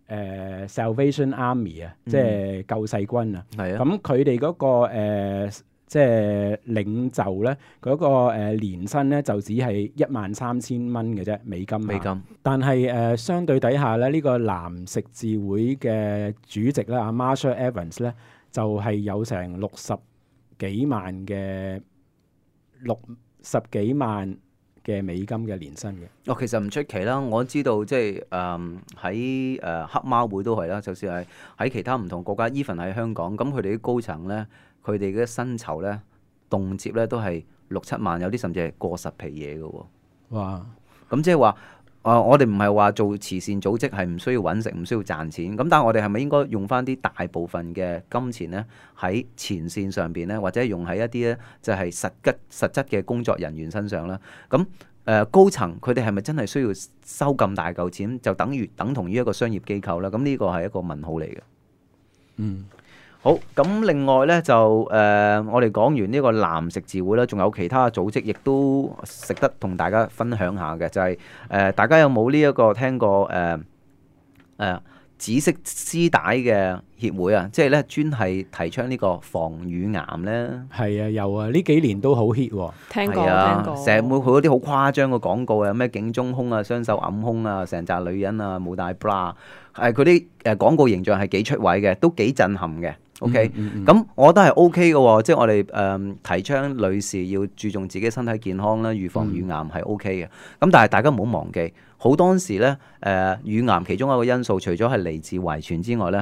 誒、uh, Salvation Army 啊、嗯，即係救世軍啊。係啊。咁佢哋嗰個、呃、即係領袖咧，嗰、嗰個誒、呃、年薪咧就只係一萬三千蚊嘅啫，美金。美金。但係誒、呃、相對底下咧，呢、呢個藍食字會嘅主席咧，阿 Marsha Evans 咧，就係、係、有成六十幾萬嘅六十幾萬嘅美金嘅年薪嘅。哦，其實唔出奇啦，我知道即係誒喺誒黑貓會都係啦，就算係喺其他唔同國家 even 喺香港，咁佢哋啲高層咧，佢哋嘅薪酬咧，動輒咧都係六七萬，有啲甚至係過十皮嘢嘅喎。哇！咁即係話誒，我哋唔係話做慈善組織係唔需要揾食，唔需要賺錢。咁但係我哋係咪應該用翻啲大部分嘅金錢咧喺前線上邊咧，或者用喺一啲咧就係實質實質嘅工作人員身上咧？咁誒、呃、高層佢哋係咪真係需要收咁大嚿錢，就等於等同於一個商業機構咧？咁呢個係一個問號嚟嘅。嗯。好，咁另外咧就誒、呃，我哋講完呢個藍食字會啦，仲有其他組織亦都值得同大家分享下嘅，就係、是、誒、呃，大家有冇呢一個聽過誒誒、呃呃、紫色絲帶嘅協會啊？即係咧專係提倡呢個防乳癌咧。係啊，有啊，呢幾年都好 hit 喎。聽過，啊、聽過。成日會好多啲好誇張嘅廣告啊，咩警鐘胸啊、雙手揞胸啊、成扎女人啊冇帶 bra， 係佢啲誒廣告形象係幾出位嘅，都幾震撼嘅。OK，咁、嗯嗯嗯、我覺得係 OK 嘅喎，即係我哋誒、呃、提倡女士要注重自己身體健康啦，預防乳癌係 OK 嘅。咁、嗯、但係大家唔好忘記，好多時咧誒、呃、乳癌其中一個因素，除咗係嚟自遺傳之外咧，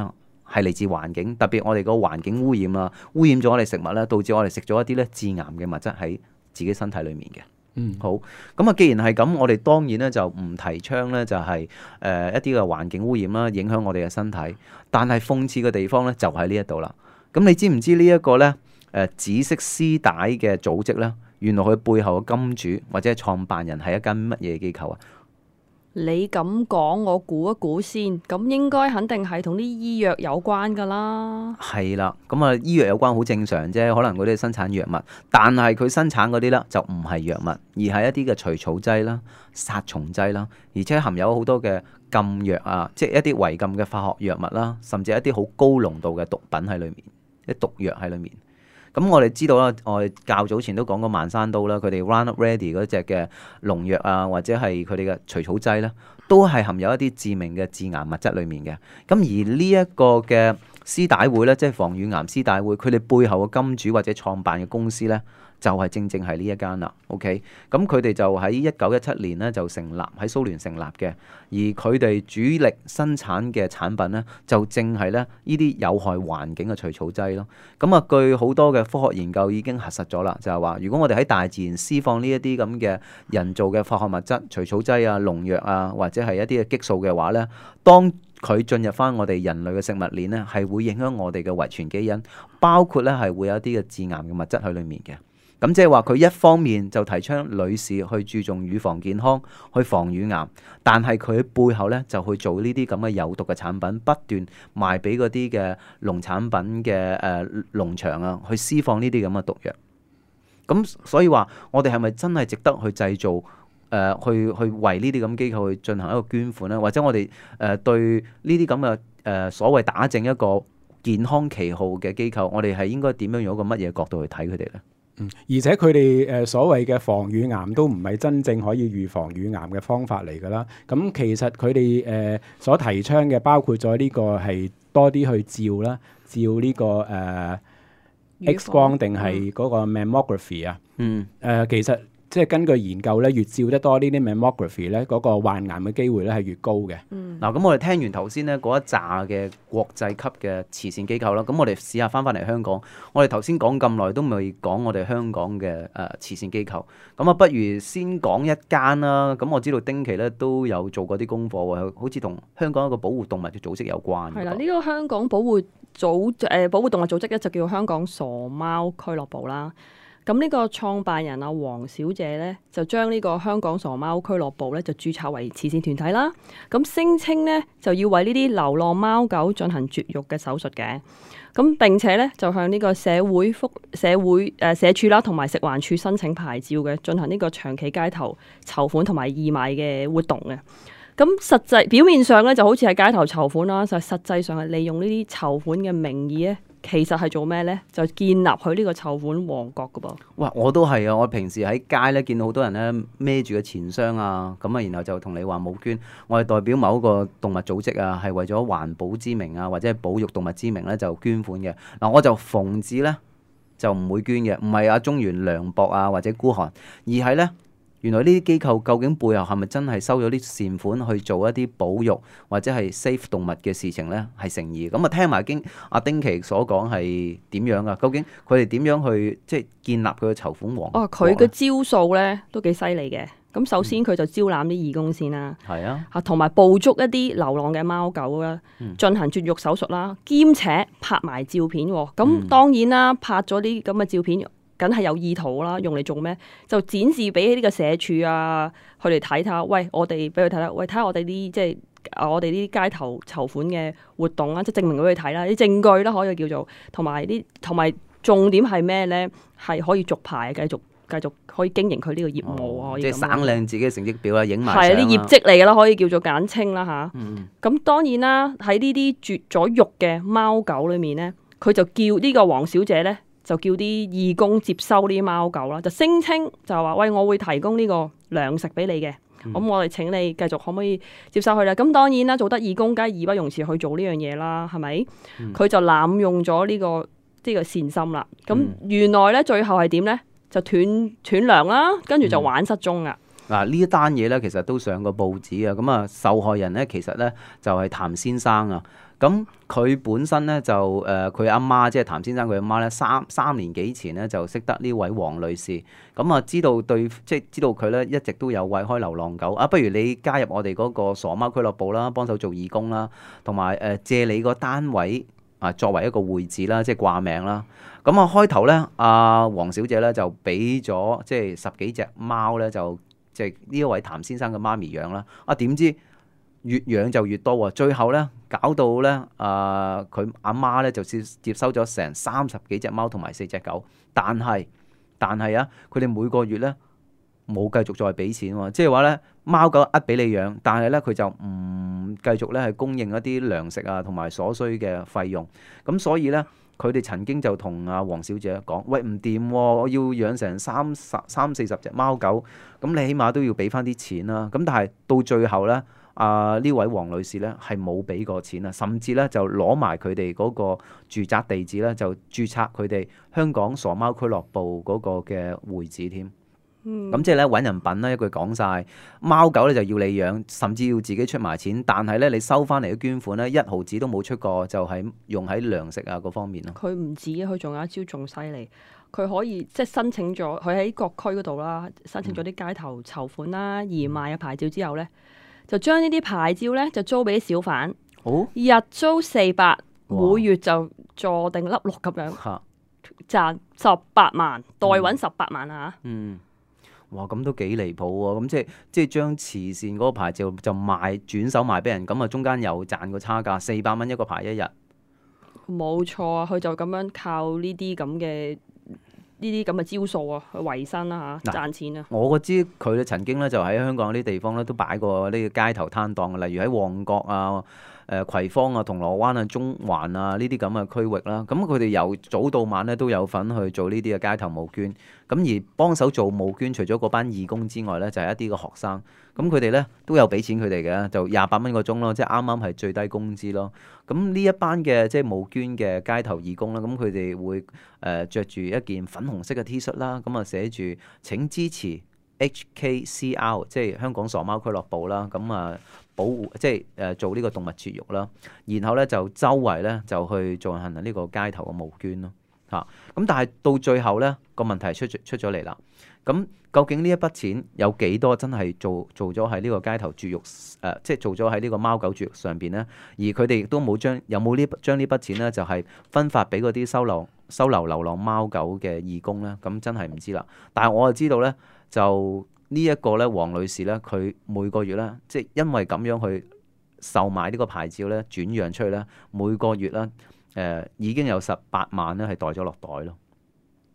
係嚟自環境，特別我哋個環境污染啊，污染咗我哋食物咧，導致我哋食咗一啲咧致癌嘅物質喺自己身體裡面嘅。嗯，好，咁啊，既然係咁，我哋當然咧就唔提倡咧就係、是、誒、呃、一啲嘅環境污染啦，影響我哋嘅身體。但係諷刺嘅地方咧就喺呢一度啦。咁你知唔知呢一個咧誒紫色絲帶嘅組織咧，原來佢背後嘅金主或者係創辦人係一間乜嘢機構啊？你咁講，我估一估先，咁應該肯定係同啲醫藥有關噶啦。係啦，咁啊醫藥有關好正常啫，可能嗰啲係生產藥物，但係佢生產嗰啲咧就唔係藥物，而係一啲嘅除草劑啦、殺蟲劑啦，而且含有好多嘅禁藥啊，即係一啲違禁嘅化學藥物啦，甚至一啲好高濃度嘅毒品喺裏面，啲毒藥喺裏面。咁我哋知道啦，我哋較早前都講過萬山刀啦，佢哋 Roundup Ready 嗰隻嘅農藥啊，或者係佢哋嘅除草劑啦，都係含有一啲致命嘅致癌物質裡面嘅。咁而呢一個嘅絲帶會咧，即係防乳癌絲帶會，佢哋背後嘅金主或者創辦嘅公司咧，就係正正係呢一間啦。OK，咁佢哋就喺一九一七年咧就成立，喺蘇聯成立嘅，而佢哋主力生產嘅產品咧，就正係咧呢啲有害環境嘅除草劑咯。咁啊，據好多嘅科學研究已經核實咗啦，就係話，如果我哋喺大自然施放呢一啲咁嘅人造嘅化學物質、除草劑啊、農藥啊，或者係一啲嘅激素嘅話咧，當佢進入翻我哋人類嘅食物鏈咧，係會影響我哋嘅遺傳基因，包括咧係會有一啲嘅致癌嘅物質喺裡面嘅。咁即係話佢一方面就提倡女士去注重乳房健康，去防乳癌，但係佢背後咧就去做呢啲咁嘅有毒嘅產品，不斷賣俾嗰啲嘅農產品嘅誒農場啊，去施放呢啲咁嘅毒藥。咁所以話我哋係咪真係值得去製造誒、呃、去去為呢啲咁機構去進行一個捐款咧？或者我哋誒、呃、對呢啲咁嘅誒所謂打正一個健康旗號嘅機構，我哋係應該點樣用一個乜嘢角度去睇佢哋咧？嗯，而且佢哋誒所謂嘅防乳癌都唔係真正可以預防乳癌嘅方法嚟㗎啦。咁其實佢哋誒所提倡嘅包括咗呢個係多啲去照啦，照呢、這個誒、呃、X 光定係嗰個 mammography 啊。嗯。誒、呃、其實。即係根據研究咧，越照得多呢啲 mammography 咧，嗰個患癌嘅機會咧係越高嘅。嗱、嗯，咁我哋聽完頭先咧嗰一紮嘅國際級嘅慈善機構啦，咁我哋試下翻返嚟香港。我哋頭先講咁耐都未講我哋香港嘅誒、呃、慈善機構，咁啊不如先講一間啦。咁我知道丁奇咧都有做過啲功課喎，好似同香港一個保護動物嘅組織有關。係啦，呢、這個香港保護組誒、呃、保護動物組織咧就叫香港傻貓俱樂部啦。咁呢個創辦人阿黃小姐咧，就將呢個香港傻貓俱樂部咧就註冊為慈善團體啦。咁聲稱咧就要為呢啲流浪貓狗進行絕育嘅手術嘅。咁並且咧就向呢個社會福社會誒、呃、社署啦，同埋食環署申請牌照嘅，進行呢個長期街頭籌款同埋義賣嘅活動嘅。咁實際表面上咧就好似係街頭籌款啦，就實際上係利用呢啲籌款嘅名義咧。其實係做咩咧？就建立佢呢個籌款王國噶噃。哇！我都係啊！我平時喺街咧見到好多人咧孭住個錢箱啊，咁啊，然後就同你話冇捐。我係代表某一個動物組織啊，係為咗環保之名啊，或者係保育動物之名咧就捐款嘅。嗱，我就奉旨咧就唔會捐嘅，唔係阿中原涼薄啊或者孤寒，而係咧。原來呢啲機構究竟背後係咪真係收咗啲善款去做一啲保育或者係 save 動物嘅事情呢？係誠意咁啊！聽埋經阿丁奇所講係點樣啊？究竟佢哋點樣去即係建立佢嘅籌款王國？哦，佢嘅招數呢都幾犀利嘅。咁首先佢就招攬啲義工先啦，係、嗯、啊，同埋捕捉一啲流浪嘅貓狗啦，進行絕育手術啦，兼且拍埋照片。咁當然啦，拍咗啲咁嘅照片。梗係有意圖啦，用嚟做咩？就展示俾呢個社署啊，佢哋睇睇。喂，我哋俾佢睇啦。喂，睇下我哋啲即係我哋啲街頭籌款嘅活動啦，即係證明俾佢睇啦，啲證據啦可以叫做，同埋啲同埋重點係咩咧？係可以續牌，繼續繼續可以經營佢呢個業務啊！哦、即係省靚自己嘅成績表啊，影埋係啲業績嚟㗎啦，可以叫做簡稱啦吓，咁、嗯、當然啦，喺呢啲絕咗育嘅貓狗裏面咧，佢就叫呢個黃小姐咧。就叫啲義工接收呢啲貓狗啦，就聲稱就話喂，我會提供呢個糧食俾你嘅，咁、嗯、我哋請你繼續可唔可以接收佢啦？咁當然啦，做得義工梗係義不容辭去做呢樣嘢啦，係咪？佢、嗯、就濫用咗呢、這個呢、這個善心啦。咁、嗯、原來咧最後係點咧？就斷斷糧啦，跟住就玩失蹤啊！嗱、嗯，呢一單嘢咧，其實都上過報紙啊。咁啊，受害人咧，其實咧就係、是、譚先生啊。咁佢本身咧就誒佢阿媽即係譚先生佢阿媽咧三三年幾前咧就識得呢位黃女士，咁啊知道對即係知道佢咧一直都有餵開流浪狗啊，不如你加入我哋嗰個傻貓俱樂部啦，幫手做義工啦，同埋誒借你個單位啊作為一個會址啦，即係掛名啦。咁啊開頭咧，阿黃小姐咧就俾咗即係十幾隻貓咧，就即係呢一位譚先生嘅媽咪養啦。啊點知越養就越多喎，最後咧搞到咧啊佢阿媽咧就接接收咗成三十幾隻貓同埋四隻狗，但係但係啊佢哋每個月咧冇繼續再俾錢喎，即係話咧貓狗呃俾你養，但係咧佢就唔繼續咧係供應一啲糧食啊同埋所需嘅費用，咁所以咧佢哋曾經就同阿黃小姐講：喂唔掂喎，我要養成三十三四十隻貓狗，咁你起碼都要俾翻啲錢啦。咁但係到最後咧。啊！呢位黃女士咧係冇俾過錢啊，甚至咧就攞埋佢哋嗰個住宅地址咧，就註冊佢哋香港傻貓俱樂部嗰個嘅會址添。咁、嗯、即係咧揾人品啦，一句講晒，貓狗咧就要你養，甚至要自己出埋錢，但係咧你收翻嚟嘅捐款咧一毫子都冇出過，就係、是、用喺糧食啊嗰方面咯。佢唔止，佢仲有一招仲犀利。佢可以即係申請咗，佢喺各區嗰度啦，申請咗啲街頭籌款啦、義賣嘅牌照之後咧。就將呢啲牌照咧就租俾啲小販，哦、日租四百，每月就坐定粒六咁樣，賺十八萬，代揾十八萬啊！嗯，哇，咁都幾離譜喎！咁即係即係將慈善嗰個牌照就賣轉手賣俾人，咁啊中間又賺個差價，四百蚊一個牌一日。冇錯啊，佢就咁樣靠呢啲咁嘅。呢啲咁嘅招數啊，去維生啦嚇，賺錢啊！我知佢咧曾經咧就喺香港呢啲地方咧都擺過呢個街頭攤檔，例如喺旺角啊、誒、呃、葵芳啊、銅鑼灣啊、中環啊呢啲咁嘅區域啦。咁佢哋由早到晚咧都有份去做呢啲嘅街頭募捐。咁而幫手做募捐，除咗嗰班義工之外咧，就係、是、一啲嘅學生。咁佢哋咧都有俾錢佢哋嘅，就廿八蚊個鐘咯，即係啱啱係最低工資咯。咁呢一班嘅即係募捐嘅街頭義工啦，咁佢哋會誒著住一件粉紅色嘅 T 恤啦，咁啊寫住請支持 H K C R， 即係香港傻貓俱樂部啦，咁啊保護即係誒做呢個動物絕育啦，然後咧就周圍咧就去進行呢個街頭嘅募捐咯。嚇！咁但係到最後咧個問題出出咗嚟啦。咁究竟呢一筆錢有幾多真係做做咗喺呢個街頭絕育誒、呃，即係做咗喺呢個貓狗絕育上邊咧？而佢哋亦都冇將有冇呢將呢筆錢咧，就係、是、分發俾嗰啲收留收留流浪貓狗嘅義工咧？咁真係唔知啦。但係我就知道咧，就呢一個咧，黃女士咧，佢每個月咧，即係因為咁樣去售賣呢個牌照咧，轉讓出去咧，每個月咧誒、呃、已經有十八萬咧係袋咗落袋咯。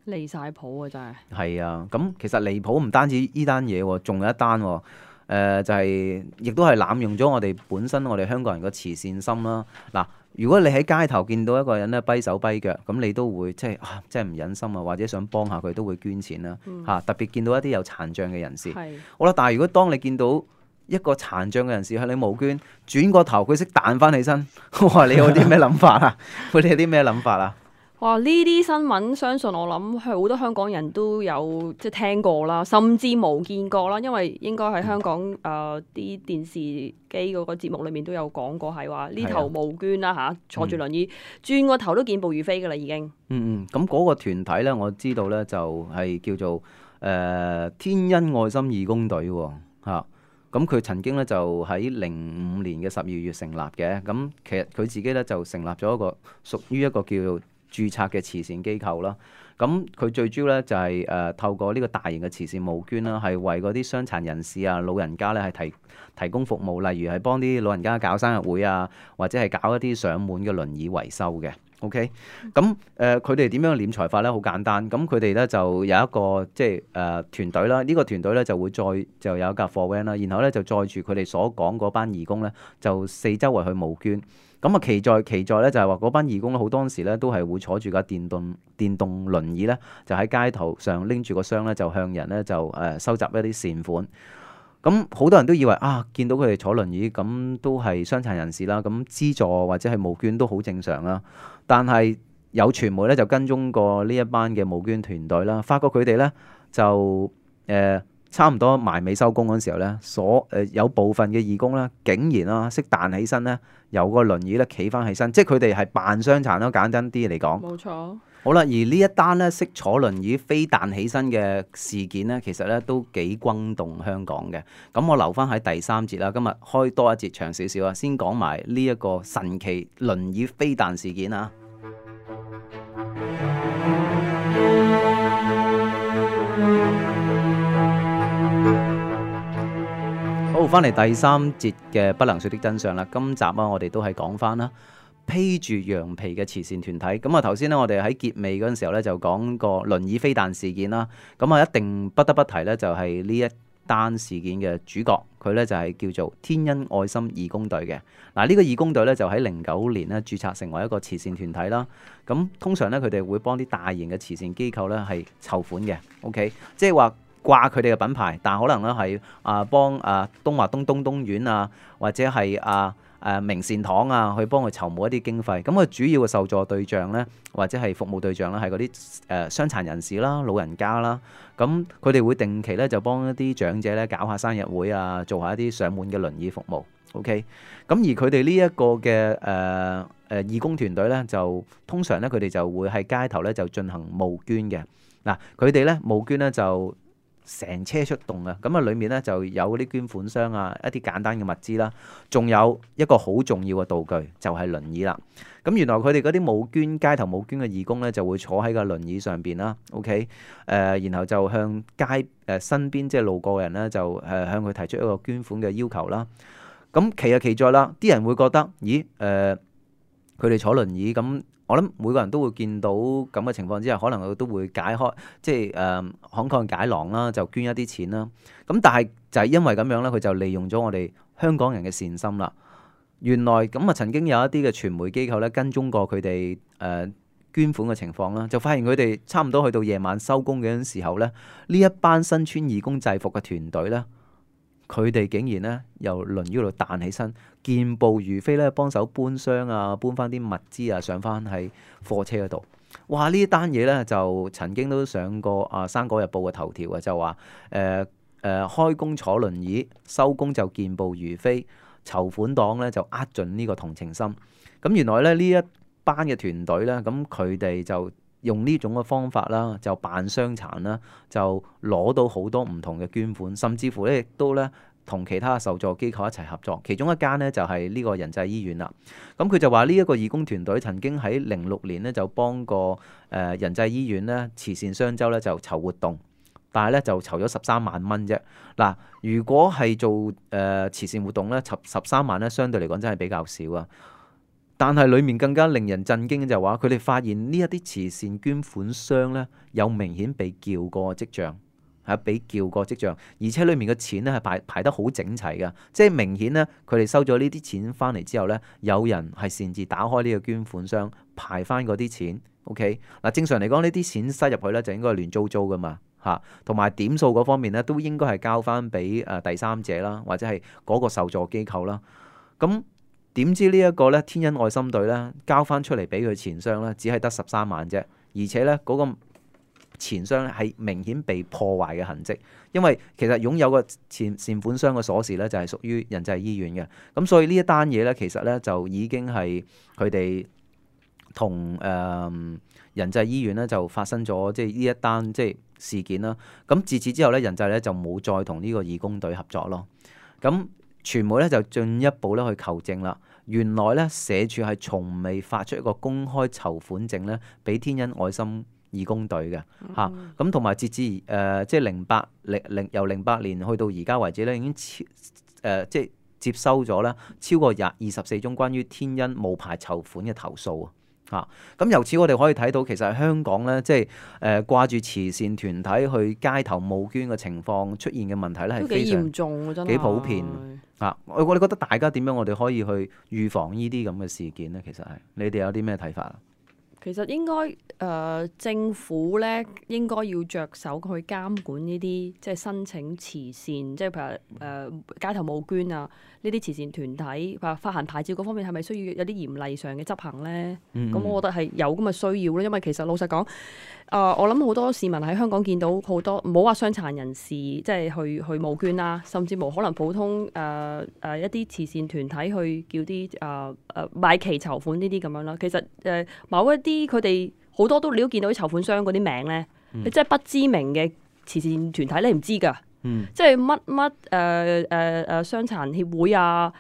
離晒譜啊！真係係啊，咁其實離譜唔單止依單嘢喎，仲有一單喎、哦呃，就係、是、亦都係濫用咗我哋本身我哋香港人嘅慈善心啦。嗱，如果你喺街頭見到一個人咧跛手跛腳，咁你都會即係啊，真係唔忍心啊，或者想幫下佢都會捐錢啦嚇、嗯啊。特別見到一啲有殘障嘅人士，係好啦。但係如果當你見到一個殘障嘅人士向你募捐，轉個頭佢識彈翻起身，哇！你有啲咩諗法啊？佢哋有啲咩諗法啊？哇！呢啲新聞相信我諗係好多香港人都有即係聽過啦，甚至冇見過啦。因為應該喺香港誒啲、呃、電視機嗰個節目裏面都有講過，係話呢頭募捐啦嚇、啊，坐住輪椅、嗯、轉個頭都見步如飛㗎啦已經。嗯嗯，咁嗰個團體咧，我知道咧就係叫做誒、呃、天恩愛心義工隊喎嚇。咁佢曾經咧就喺零五年嘅十二月成立嘅。咁其實佢自己咧就成立咗一個屬於一個叫做註冊嘅慈善機構啦，咁佢最主要咧就係、是、誒、呃、透過呢個大型嘅慈善募捐啦，係為嗰啲傷殘人士啊、老人家咧係提提供服務，例如係幫啲老人家搞生日會啊，或者係搞一啲上門嘅輪椅維修嘅。OK，咁誒佢哋點樣斂財法咧？好簡單，咁佢哋咧就有一個即係誒團隊啦，呢、這個團隊咧就會載就有一架貨 van 啦，然後咧就載住佢哋所講嗰班義工咧，就四周圍去募捐。咁啊，奇在奇在咧，就係話嗰班義工咧，好多時咧都係會坐住架電動電動輪椅咧，就喺街頭上拎住個箱咧，就向人咧就誒收集一啲善款。咁好多人都以為啊，見到佢哋坐輪椅，咁都係傷殘人士啦，咁資助或者係募捐都好正常啦。但係有傳媒咧就跟蹤過呢一班嘅募捐團隊啦，發覺佢哋咧就誒差唔多埋尾收工嗰陣時候咧，所誒、呃、有部分嘅義工咧，竟然啦識彈起身咧，由個輪椅咧企翻起身，即係佢哋係扮傷殘咯，簡單啲嚟講。冇錯。好啦，而呢一單咧識坐輪椅飛彈起身嘅事件咧，其實咧都幾轟動香港嘅。咁我留翻喺第三節啦，今日開多一節長少少啊，先講埋呢一個神奇輪椅飛彈事件啊。好，翻嚟第三節嘅不能說的真相啦。今集啊，我哋都係講翻啦。披住羊皮嘅慈善團體，咁啊頭先咧，我哋喺結尾嗰陣時候咧就講個輪椅飛彈事件啦。咁啊，一定不得不提咧，就係呢一單事件嘅主角，佢咧就係叫做天恩愛心義工隊嘅。嗱，呢個義工隊咧就喺零九年咧註冊成為一個慈善團體啦。咁通常咧，佢哋會幫啲大型嘅慈善機構咧係籌款嘅。OK， 即係話掛佢哋嘅品牌，但可能咧係啊幫啊東華東東東院啊，或者係啊。誒、呃、明善堂啊，去幫佢籌募一啲經費。咁佢主要嘅受助對象咧，或者係服務對象咧，係嗰啲誒傷殘人士啦、老人家啦。咁佢哋會定期咧就幫一啲長者咧搞下生日會啊，做下一啲上門嘅輪椅服務。OK。咁而佢哋呢一個嘅誒誒義工團隊咧，就通常咧佢哋就會喺街頭咧就進行募捐嘅。嗱，佢哋咧募捐咧就成車出動啊！咁啊，裡面咧就有啲捐款箱啊，一啲簡單嘅物資啦，仲有一個好重要嘅道具，就係輪椅啦。咁原來佢哋嗰啲募捐街頭募捐嘅義工咧，就會坐喺個輪椅上邊啦。OK，誒、呃，然後就向街誒、呃、身邊即係路過嘅人咧，就誒向佢提出一個捐款嘅要求啦。咁奇就奇在啦，啲人會覺得，咦誒，佢哋坐輪椅咁。我諗每個人都會見到咁嘅情況之下，可能佢都會解開，即係誒慷慨解囊啦，就捐一啲錢啦。咁但係就係因為咁樣咧，佢就利用咗我哋香港人嘅善心啦。原來咁啊，曾經有一啲嘅傳媒機構咧跟蹤過佢哋誒捐款嘅情況啦，就發現佢哋差唔多去到夜晚收工嘅時候咧，呢一班身穿義工制服嘅團隊咧，佢哋竟然咧由輪椅度彈起身，健步如飛咧，幫手搬箱啊，搬翻啲物資啊，上翻喺貨車嗰度。哇！呢單嘢咧就曾經都上過啊《生果日報》嘅頭條啊，就話誒誒開工坐輪椅，收工就健步如飛，籌款黨咧就呃盡呢個同情心。咁原來咧呢一班嘅團隊咧，咁佢哋就用呢種嘅方法啦，就扮傷殘啦，就攞到好多唔同嘅捐款，甚至乎咧亦都咧同其他受助機構一齊合作。其中一間咧就係呢個仁濟醫院啦。咁佢就話呢一個義工團隊曾經喺零六年咧就幫過誒仁濟醫院咧慈善雙週咧就籌活動，但係咧就籌咗十三萬蚊啫。嗱，如果係做誒、呃、慈善活動咧，籌十三萬咧，相對嚟講真係比較少啊。但係裡面更加令人震驚嘅就係話，佢哋發現呢一啲慈善捐款箱咧有明顯被撬過跡象，係被撬過跡象，而且裡面嘅錢咧係排排得好整齊嘅，即係明顯咧佢哋收咗呢啲錢翻嚟之後咧，有人係擅自打開呢個捐款箱排翻嗰啲錢。OK， 嗱，正常嚟講呢啲錢塞入去咧就應該係亂糟糟噶嘛嚇，同埋點數嗰方面咧都應該係交翻俾誒第三者啦，或者係嗰個受助機構啦。咁點知呢一個咧天恩愛心隊咧交翻出嚟俾佢錢箱咧，只係得十三萬啫，而且咧嗰個錢箱咧係明顯被破壞嘅痕跡，因為其實擁有個錢善款箱嘅鎖匙咧就係屬於仁濟醫院嘅，咁所以呢一單嘢咧其實咧就已經係佢哋同誒仁濟醫院咧就發生咗即係呢一單即係事件啦。咁自此之後咧，仁濟咧就冇再同呢個義工隊合作咯。咁傳媒咧就進一步咧去求證啦，原來咧社署係從未發出一個公開籌款證咧俾天恩愛心義工隊嘅嚇，咁同埋截至誒、呃、即係零八零零由零八年去到而家為止咧，已經超誒、呃、即係接收咗咧超過廿二十四宗關於天恩無牌籌款嘅投訴啊！嚇，咁由此我哋可以睇到，其實香港咧即係誒掛住慈善團體去街頭募捐嘅情況出現嘅問題咧係非常嚴重，真係幾普遍啊！我我哋覺得大家點樣我哋可以去預防呢啲咁嘅事件咧？其實係你哋有啲咩睇法啊？其實應該誒、呃、政府咧應該要着手去監管呢啲即係申請慈善，即係譬如誒、呃、街頭募捐啊呢啲慈善團體，譬如發行牌照嗰方面係咪需要有啲嚴厲上嘅執行咧？咁、嗯我覺得係有咁嘅需要咯，因為其實老實講，誒、呃、我諗好多市民喺香港見到好多唔好話傷殘人士即係去去募捐啦，甚至無可能普通誒誒、呃呃、一啲慈善團體去叫啲誒誒買旗籌款呢啲咁樣啦。其實誒、呃、某一啲佢哋好多都你都見到啲籌款商嗰啲名咧，嗯你即係不知名嘅慈善團體你唔知㗎，嗯即係乜乜誒誒誒傷殘協會啊，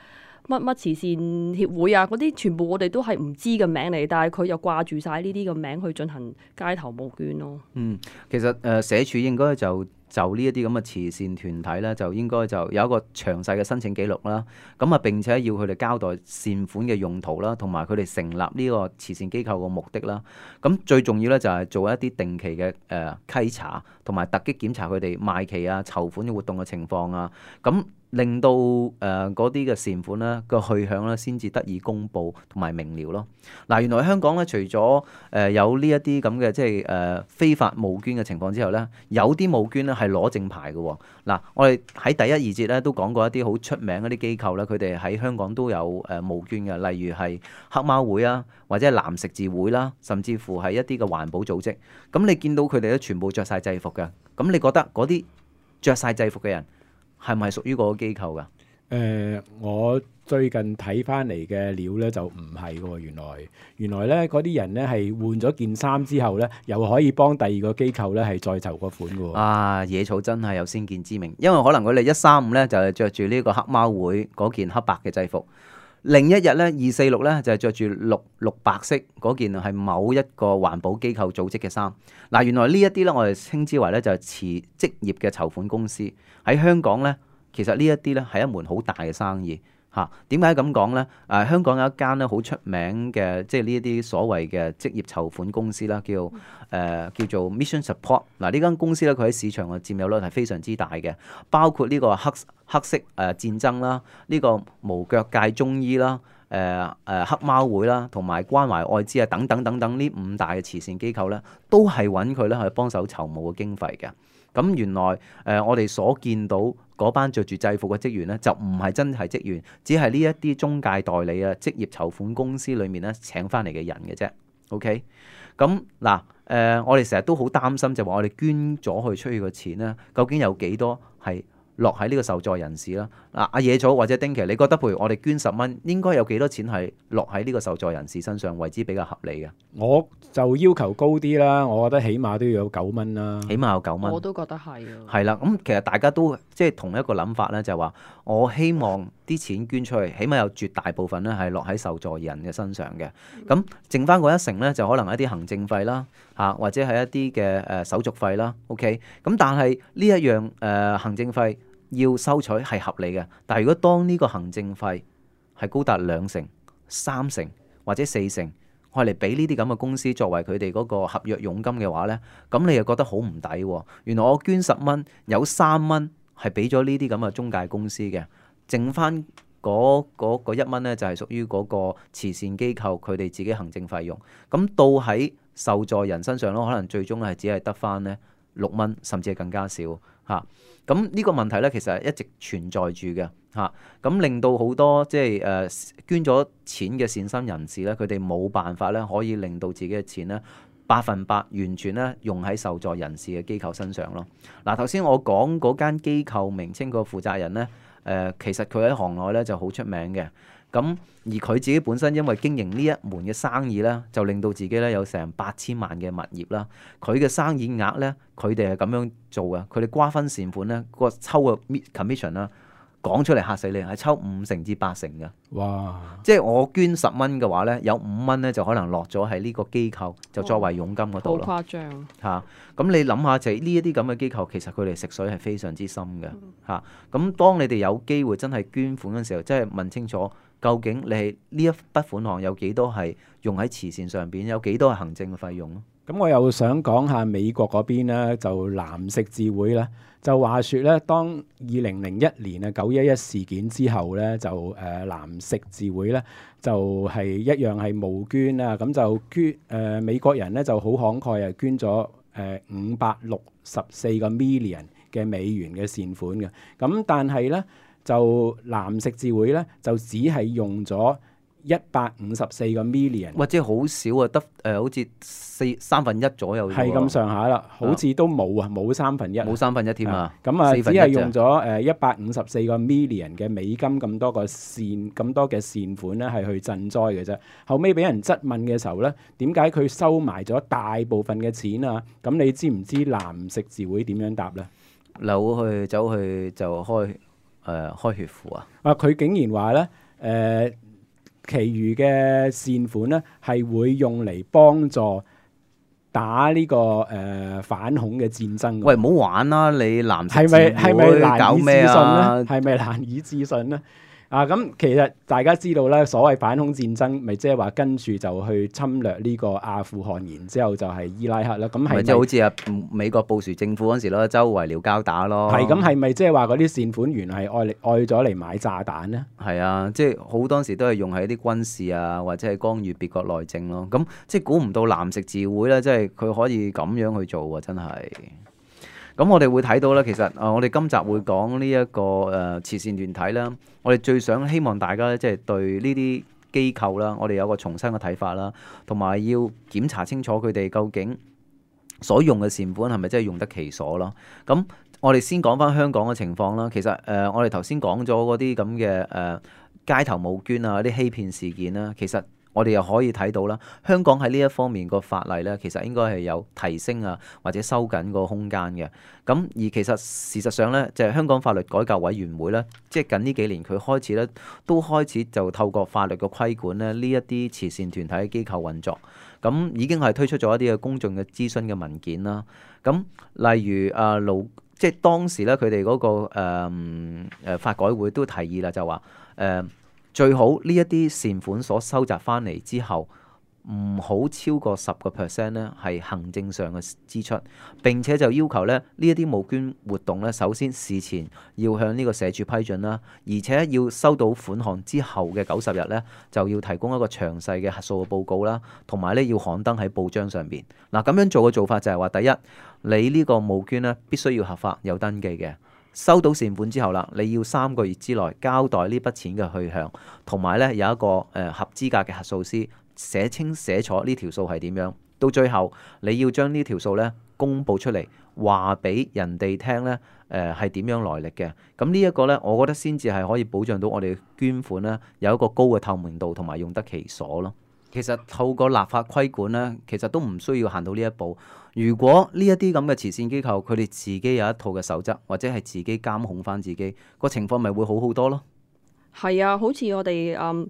乜乜慈善協會啊，嗰啲全部我哋都係唔知嘅名嚟，但係佢又掛住晒呢啲嘅名去進行街頭募捐咯。嗯，其實誒、呃、社署應該就就呢一啲咁嘅慈善團體咧，就應該就有一個詳細嘅申請記錄啦。咁啊並且要佢哋交代善款嘅用途啦，同埋佢哋成立呢個慈善機構嘅目的啦。咁最重要咧就係做一啲定期嘅誒、呃、稽查，同埋突擊檢查佢哋賣旗啊、籌款嘅活動嘅情況啊。咁令到誒嗰啲嘅善款咧個去向咧先至得以公佈同埋明瞭咯。嗱、原來香港咧除咗誒、呃、有呢一啲咁嘅即係誒、呃、非法募捐嘅情況之後咧，有啲募捐咧係攞正牌嘅喎。嗱、我哋喺第一二節咧都講過一啲好出名嗰啲機構咧，佢哋喺香港都有誒募捐嘅，例如係黑貓會啊，或者係藍十字會啦，甚至乎係一啲嘅環保組織。咁你見到佢哋咧全部着晒制服嘅，咁你覺得嗰啲着晒制服嘅人係咪屬於嗰個機構㗎？誒、呃我最近睇翻嚟嘅料咧就唔係喎，原來原來咧嗰啲人咧係換咗件衫之後咧，又可以幫第二個機構咧係再籌個款嘅喎。啊，野草真係有先見之明，因為可能佢哋一三五咧就係着住呢個黑貓會嗰件黑白嘅制服，另一日咧二四六咧就係着住綠綠白色嗰件係某一個環保機構組織嘅衫。嗱，原來呢一啲咧我哋稱之為咧就係持職業嘅籌款公司喺香港咧，其實呢一啲咧係一門好大嘅生意。嚇，點解咁講咧？誒、啊，香港有一間咧好出名嘅，即係呢一啲所謂嘅職業籌款公司啦，叫誒、呃、叫做 Mission Support。嗱，呢間公司咧，佢喺市場嘅佔有率係非常之大嘅，包括呢個黑黑色誒、呃、戰爭啦，呢、這個無腳界中醫啦，誒、呃、誒、呃、黑貓會啦，同埋關懷愛滋啊等等等等呢五大嘅慈善機構咧，都係揾佢咧去幫手籌募嘅經費嘅。咁原來誒、呃、我哋所見到嗰班着住制服嘅職員咧，就唔係真係職員，只係呢一啲中介代理啊、職業籌款公司裏面咧請翻嚟嘅人嘅啫。OK，咁嗱誒，我哋成日都好擔心，就話我哋捐咗去出去嘅錢咧，究竟有幾多係落喺呢個受助人士啦？嗱，阿野草或者丁奇，你覺得譬如我哋捐十蚊，應該有幾多錢係落喺呢個受助人士身上為之比較合理嘅？我就要求高啲啦，我覺得起碼都要有九蚊啦。起碼有九蚊。我都覺得係啊。係啦，咁其實大家都即係同一個諗法咧，就係話我希望啲錢捐出去，起碼有絕大部分咧係落喺受助人嘅身上嘅。咁剩翻嗰一成咧，就可能一啲行政費啦，嚇或者係一啲嘅誒手續費啦。OK，咁但係呢一樣誒、呃、行政費要收取係合理嘅，但係如果當呢個行政費係高達兩成、三成或者四成，我嚟俾呢啲咁嘅公司作為佢哋嗰個合約佣金嘅話呢，咁你又覺得好唔抵喎？原來我捐十蚊，有三蚊係俾咗呢啲咁嘅中介公司嘅，剩翻嗰嗰一蚊呢，就係屬於嗰個慈善機構佢哋自己行政費用。咁到喺受助人身上咯，可能最終係只係得翻呢六蚊，甚至係更加少嚇。咁呢個問題咧，其實係一直存在住嘅嚇。咁令到好多即係誒捐咗錢嘅善心人士咧，佢哋冇辦法咧，可以令到自己嘅錢咧百分百完全咧用喺受助人士嘅機構身上咯。嗱，頭先我講嗰間機構名稱個負責人咧，誒、呃、其實佢喺行內咧就好出名嘅。咁而佢自己本身因為經營呢一門嘅生意咧，就令到自己咧有成八千萬嘅物業啦。佢嘅生意額咧，佢哋係咁樣做嘅。佢哋瓜分善款咧，個抽嘅 commission 啦，講出嚟嚇死你，係抽五成至八成嘅。哇！即係我捐十蚊嘅話咧，有五蚊咧就可能落咗喺呢個機構，就作為佣金嗰度咯。好誇張嚇！咁、啊、你諗下，就係呢一啲咁嘅機構，其實佢哋食水係非常之深嘅嚇。咁、啊、當你哋有機會真係捐款嘅時候，即係問清楚。究竟你係呢一筆款項有幾多係用喺慈善上邊，有幾多係行政嘅費用咯？咁我又想講下美國嗰邊咧，就藍十字會啦。就話説咧，當二零零一年啊九一一事件之後咧，就誒、呃、藍十字會咧就係、是、一樣係募捐啦。咁就捐誒、呃、美國人咧就好慷慨啊，捐咗誒五百六十四個 million 嘅美元嘅善款嘅。咁但係咧就藍十字會咧就只係用咗一百五十四個 million，或者好少啊，得誒、呃、好似四三分一左右，係咁上下啦，好似都冇啊，冇三分一，冇三分一添啊。咁啊，只四分一係用咗誒一百五十四個 million 嘅美金咁多個善咁多嘅善款咧，係去賑災嘅啫。後尾俾人質問嘅時候咧，點解佢收埋咗大部分嘅錢啊？咁你知唔知藍十字會點樣答咧？扭去走去就開誒、呃、開血庫啊！啊，佢竟然話咧誒。呃其餘嘅善款咧，係會用嚟幫助打呢、這個誒、呃、反恐嘅戰爭。喂，唔好玩啦！你藍十字係咪係咪會難以置搞咩信啊？咧？係咪難以置信咧？啊，咁其實大家知道咧，所謂反恐戰爭，咪即係話跟住就去侵略呢個阿富汗，然之後就係伊拉克啦。咁係咪即係好似啊美國布殊政府嗰時咯，周圍撩交打咯。係咁係咪即係話嗰啲善款原來係愛嚟愛咗嚟買炸彈咧？係啊，即係好多時都係用喺啲軍事啊，或者係干預別國內政咯。咁即係估唔到藍十字會咧，即係佢可以咁樣去做喎，真係。咁我哋會睇到咧，其實啊、呃，我哋今集會講呢、這、一個誒、呃、慈善團體啦。我哋最想希望大家咧，即係對呢啲機構啦，我哋有個重新嘅睇法啦，同埋要檢查清楚佢哋究竟所用嘅善款係咪真係用得其所咯。咁我哋先講翻香港嘅情況啦。其實誒、呃，我哋頭先講咗嗰啲咁嘅誒街頭募捐啊，啲欺騙事件啦，其實我哋又可以睇到啦，香港喺呢一方面個法例咧，其實應該係有提升啊，或者收緊個空間嘅。咁而其實事實上咧，就係香港法律改革委員會咧，即係近呢幾年佢開始咧，都開始就透過法律嘅規管咧，呢一啲慈善團體嘅機構運作。咁已經係推出咗一啲嘅公眾嘅諮詢嘅文件啦。咁例如啊勞，即係當時咧佢哋嗰個誒、呃、法改會都提議啦，就話誒。呃最好呢一啲善款所收集翻嚟之後，唔好超過十個 percent 咧係行政上嘅支出。並且就要求咧呢一啲募捐活動咧，首先事前要向呢個社署批准啦，而且要收到款項之後嘅九十日咧，就要提供一個詳細嘅核數嘅報告啦，同埋咧要刊登喺報章上邊。嗱，咁樣做嘅做法就係話，第一，你呢個募捐咧必須要合法有登記嘅。收到善款之後啦，你要三個月之內交代呢筆錢嘅去向，同埋咧有一個誒、呃、合資格嘅核數師寫清寫楚呢條數係點樣。到最後你要將呢條數咧公佈出嚟，話俾人哋聽咧誒係點樣來歷嘅。咁呢一個咧，我覺得先至係可以保障到我哋捐款咧有一個高嘅透明度同埋用得其所咯。其實透過立法規管咧，其實都唔需要行到呢一步。如果呢一啲咁嘅慈善機構，佢哋自己有一套嘅守則，或者係自己監控翻自己，個情況咪會好好多咯。係啊，好似我哋嗯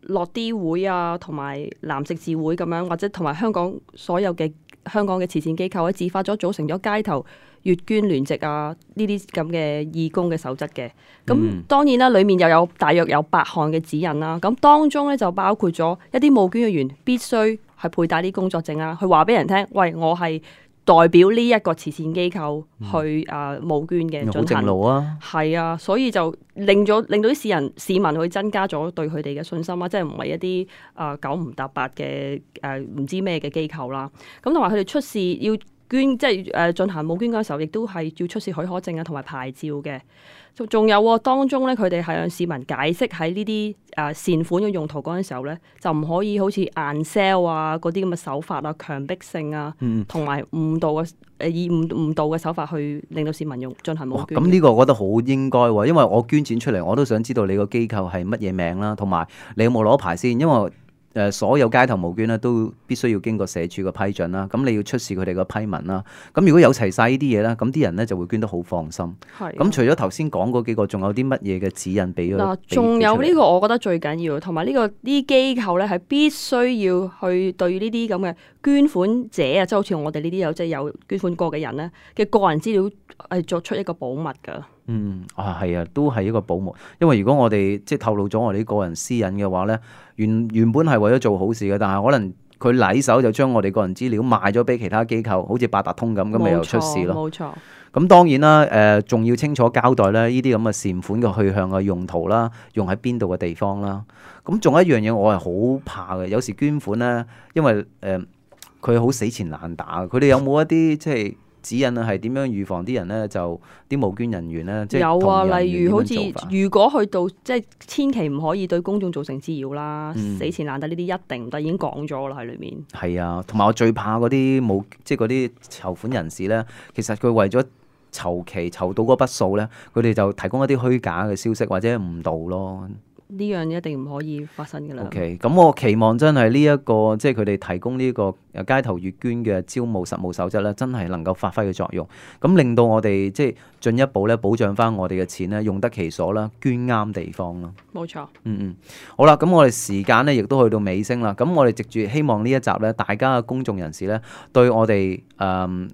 樂啲會啊，同埋藍十字會咁樣，或者同埋香港所有嘅香港嘅慈善機構咧，自發咗組成咗街頭月捐聯席啊，呢啲咁嘅義工嘅守則嘅。咁、嗯、當然啦，裡面又有大約有八項嘅指引啦。咁當中咧就包括咗一啲募捐嘅員必須係佩戴啲工作證啊，去話俾人聽，喂，我係代表呢一個慈善機構去啊募捐嘅進行。好正路啊！係啊，所以就令咗令到啲市人市民去增加咗對佢哋嘅信心啊，即係唔係一啲啊九唔搭八嘅誒唔知咩嘅機構啦。咁同埋佢哋出示要捐，即係誒進行募捐嗰時候，亦都係要出示許可證啊，同埋牌照嘅。仲有喎，當中咧，佢哋係向市民解釋喺呢啲誒善款嘅用途嗰陣時候咧，就唔可以好似硬 sell 啊嗰啲咁嘅手法啊、強迫性啊，同埋誤導嘅誒以誤誤導嘅手法去令到市民用進行募捐。咁呢個我覺得好應該喎，因為我捐錢出嚟，我都想知道你個機構係乜嘢名啦，同埋你有冇攞牌先，因為誒所有街頭募捐咧都必須要經過社署嘅批准啦，咁你要出示佢哋嘅批文啦。咁如果有齊晒呢啲嘢咧，咁啲人咧就會捐得好放心。係。咁除咗頭先講嗰幾個，仲有啲乜嘢嘅指引俾佢？嗱，仲有呢個我覺得最緊要，同埋呢個啲機構咧係必須要去對呢啲咁嘅捐款者啊，即係好似我哋呢啲有即係有捐款過嘅人咧嘅個人資料係作出一個保密㗎。嗯，啊係啊，都係一個保密，因為如果我哋即係透露咗我哋啲個人私隱嘅話咧，原原本係為咗做好事嘅，但係可能佢禮手就將我哋個人資料賣咗俾其他機構，好似八達通咁，咁咪又出事咯。冇錯，咁當然啦，誒、呃、仲要清楚交代咧，呢啲咁嘅善款嘅去向嘅用途啦，用喺邊度嘅地方啦。咁仲有一樣嘢，我係好怕嘅。有時捐款咧，因為誒佢好死纏爛打，佢哋有冇一啲即係指引啊？係點樣預防啲人咧就啲募捐人員咧，即係有啊，同人例如好似點樣做法如果去到即係千祈唔可以對公眾造成滋擾啦，嗯死纏爛打呢啲一定唔得，已經講咗啦喺裏面。係啊，同埋我最怕嗰啲冇即係嗰啲籌款人士咧，其實佢為咗籌期籌到嗰筆數咧，佢哋就提供一啲虛假嘅消息或者誤導咯。呢樣一定唔可以發生㗎啦。OK，咁我期望真係呢一個即係佢哋提供呢個誒街頭月捐嘅招募實務守則咧，真係能夠發揮嘅作用，咁令到我哋即係進一步咧保障翻我哋嘅錢咧用得其所啦，捐啱地方咯。冇錯，嗯嗯，好啦，咁我哋時間咧亦都去到尾聲啦。咁我哋藉住希望呢一集咧，大家嘅公眾人士咧對我哋誒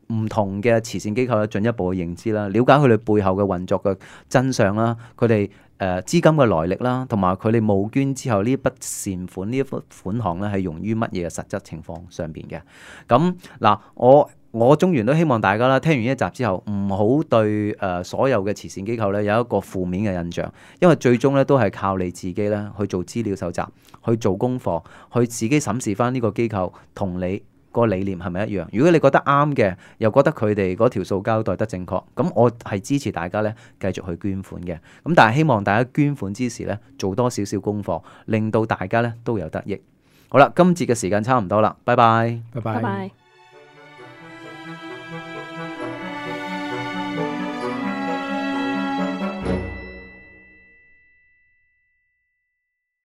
唔同嘅慈善機構咧進一步嘅認知啦，了解佢哋背後嘅運作嘅真相啦，佢哋誒資金嘅來歷啦，同埋佢哋募捐之後呢一筆善款呢一筆款項咧係用於乜嘢嘅實質情況上邊嘅。咁嗱，我我中原都希望大家啦，聽完呢一集之後，唔好對誒、呃、所有嘅慈善機構咧有一個負面嘅印象，因為最終咧都係靠你自己咧去做資料搜集，去做功課，去自己審視翻呢個機構同你個理念係咪一樣？如果你覺得啱嘅，又覺得佢哋嗰條數交代得正確，咁我係支持大家咧繼續去捐款嘅。咁但係希望大家捐款之時咧做多少少功課，令到大家咧都有得益。好啦，今節嘅時間差唔多啦，拜拜。拜拜。拜拜。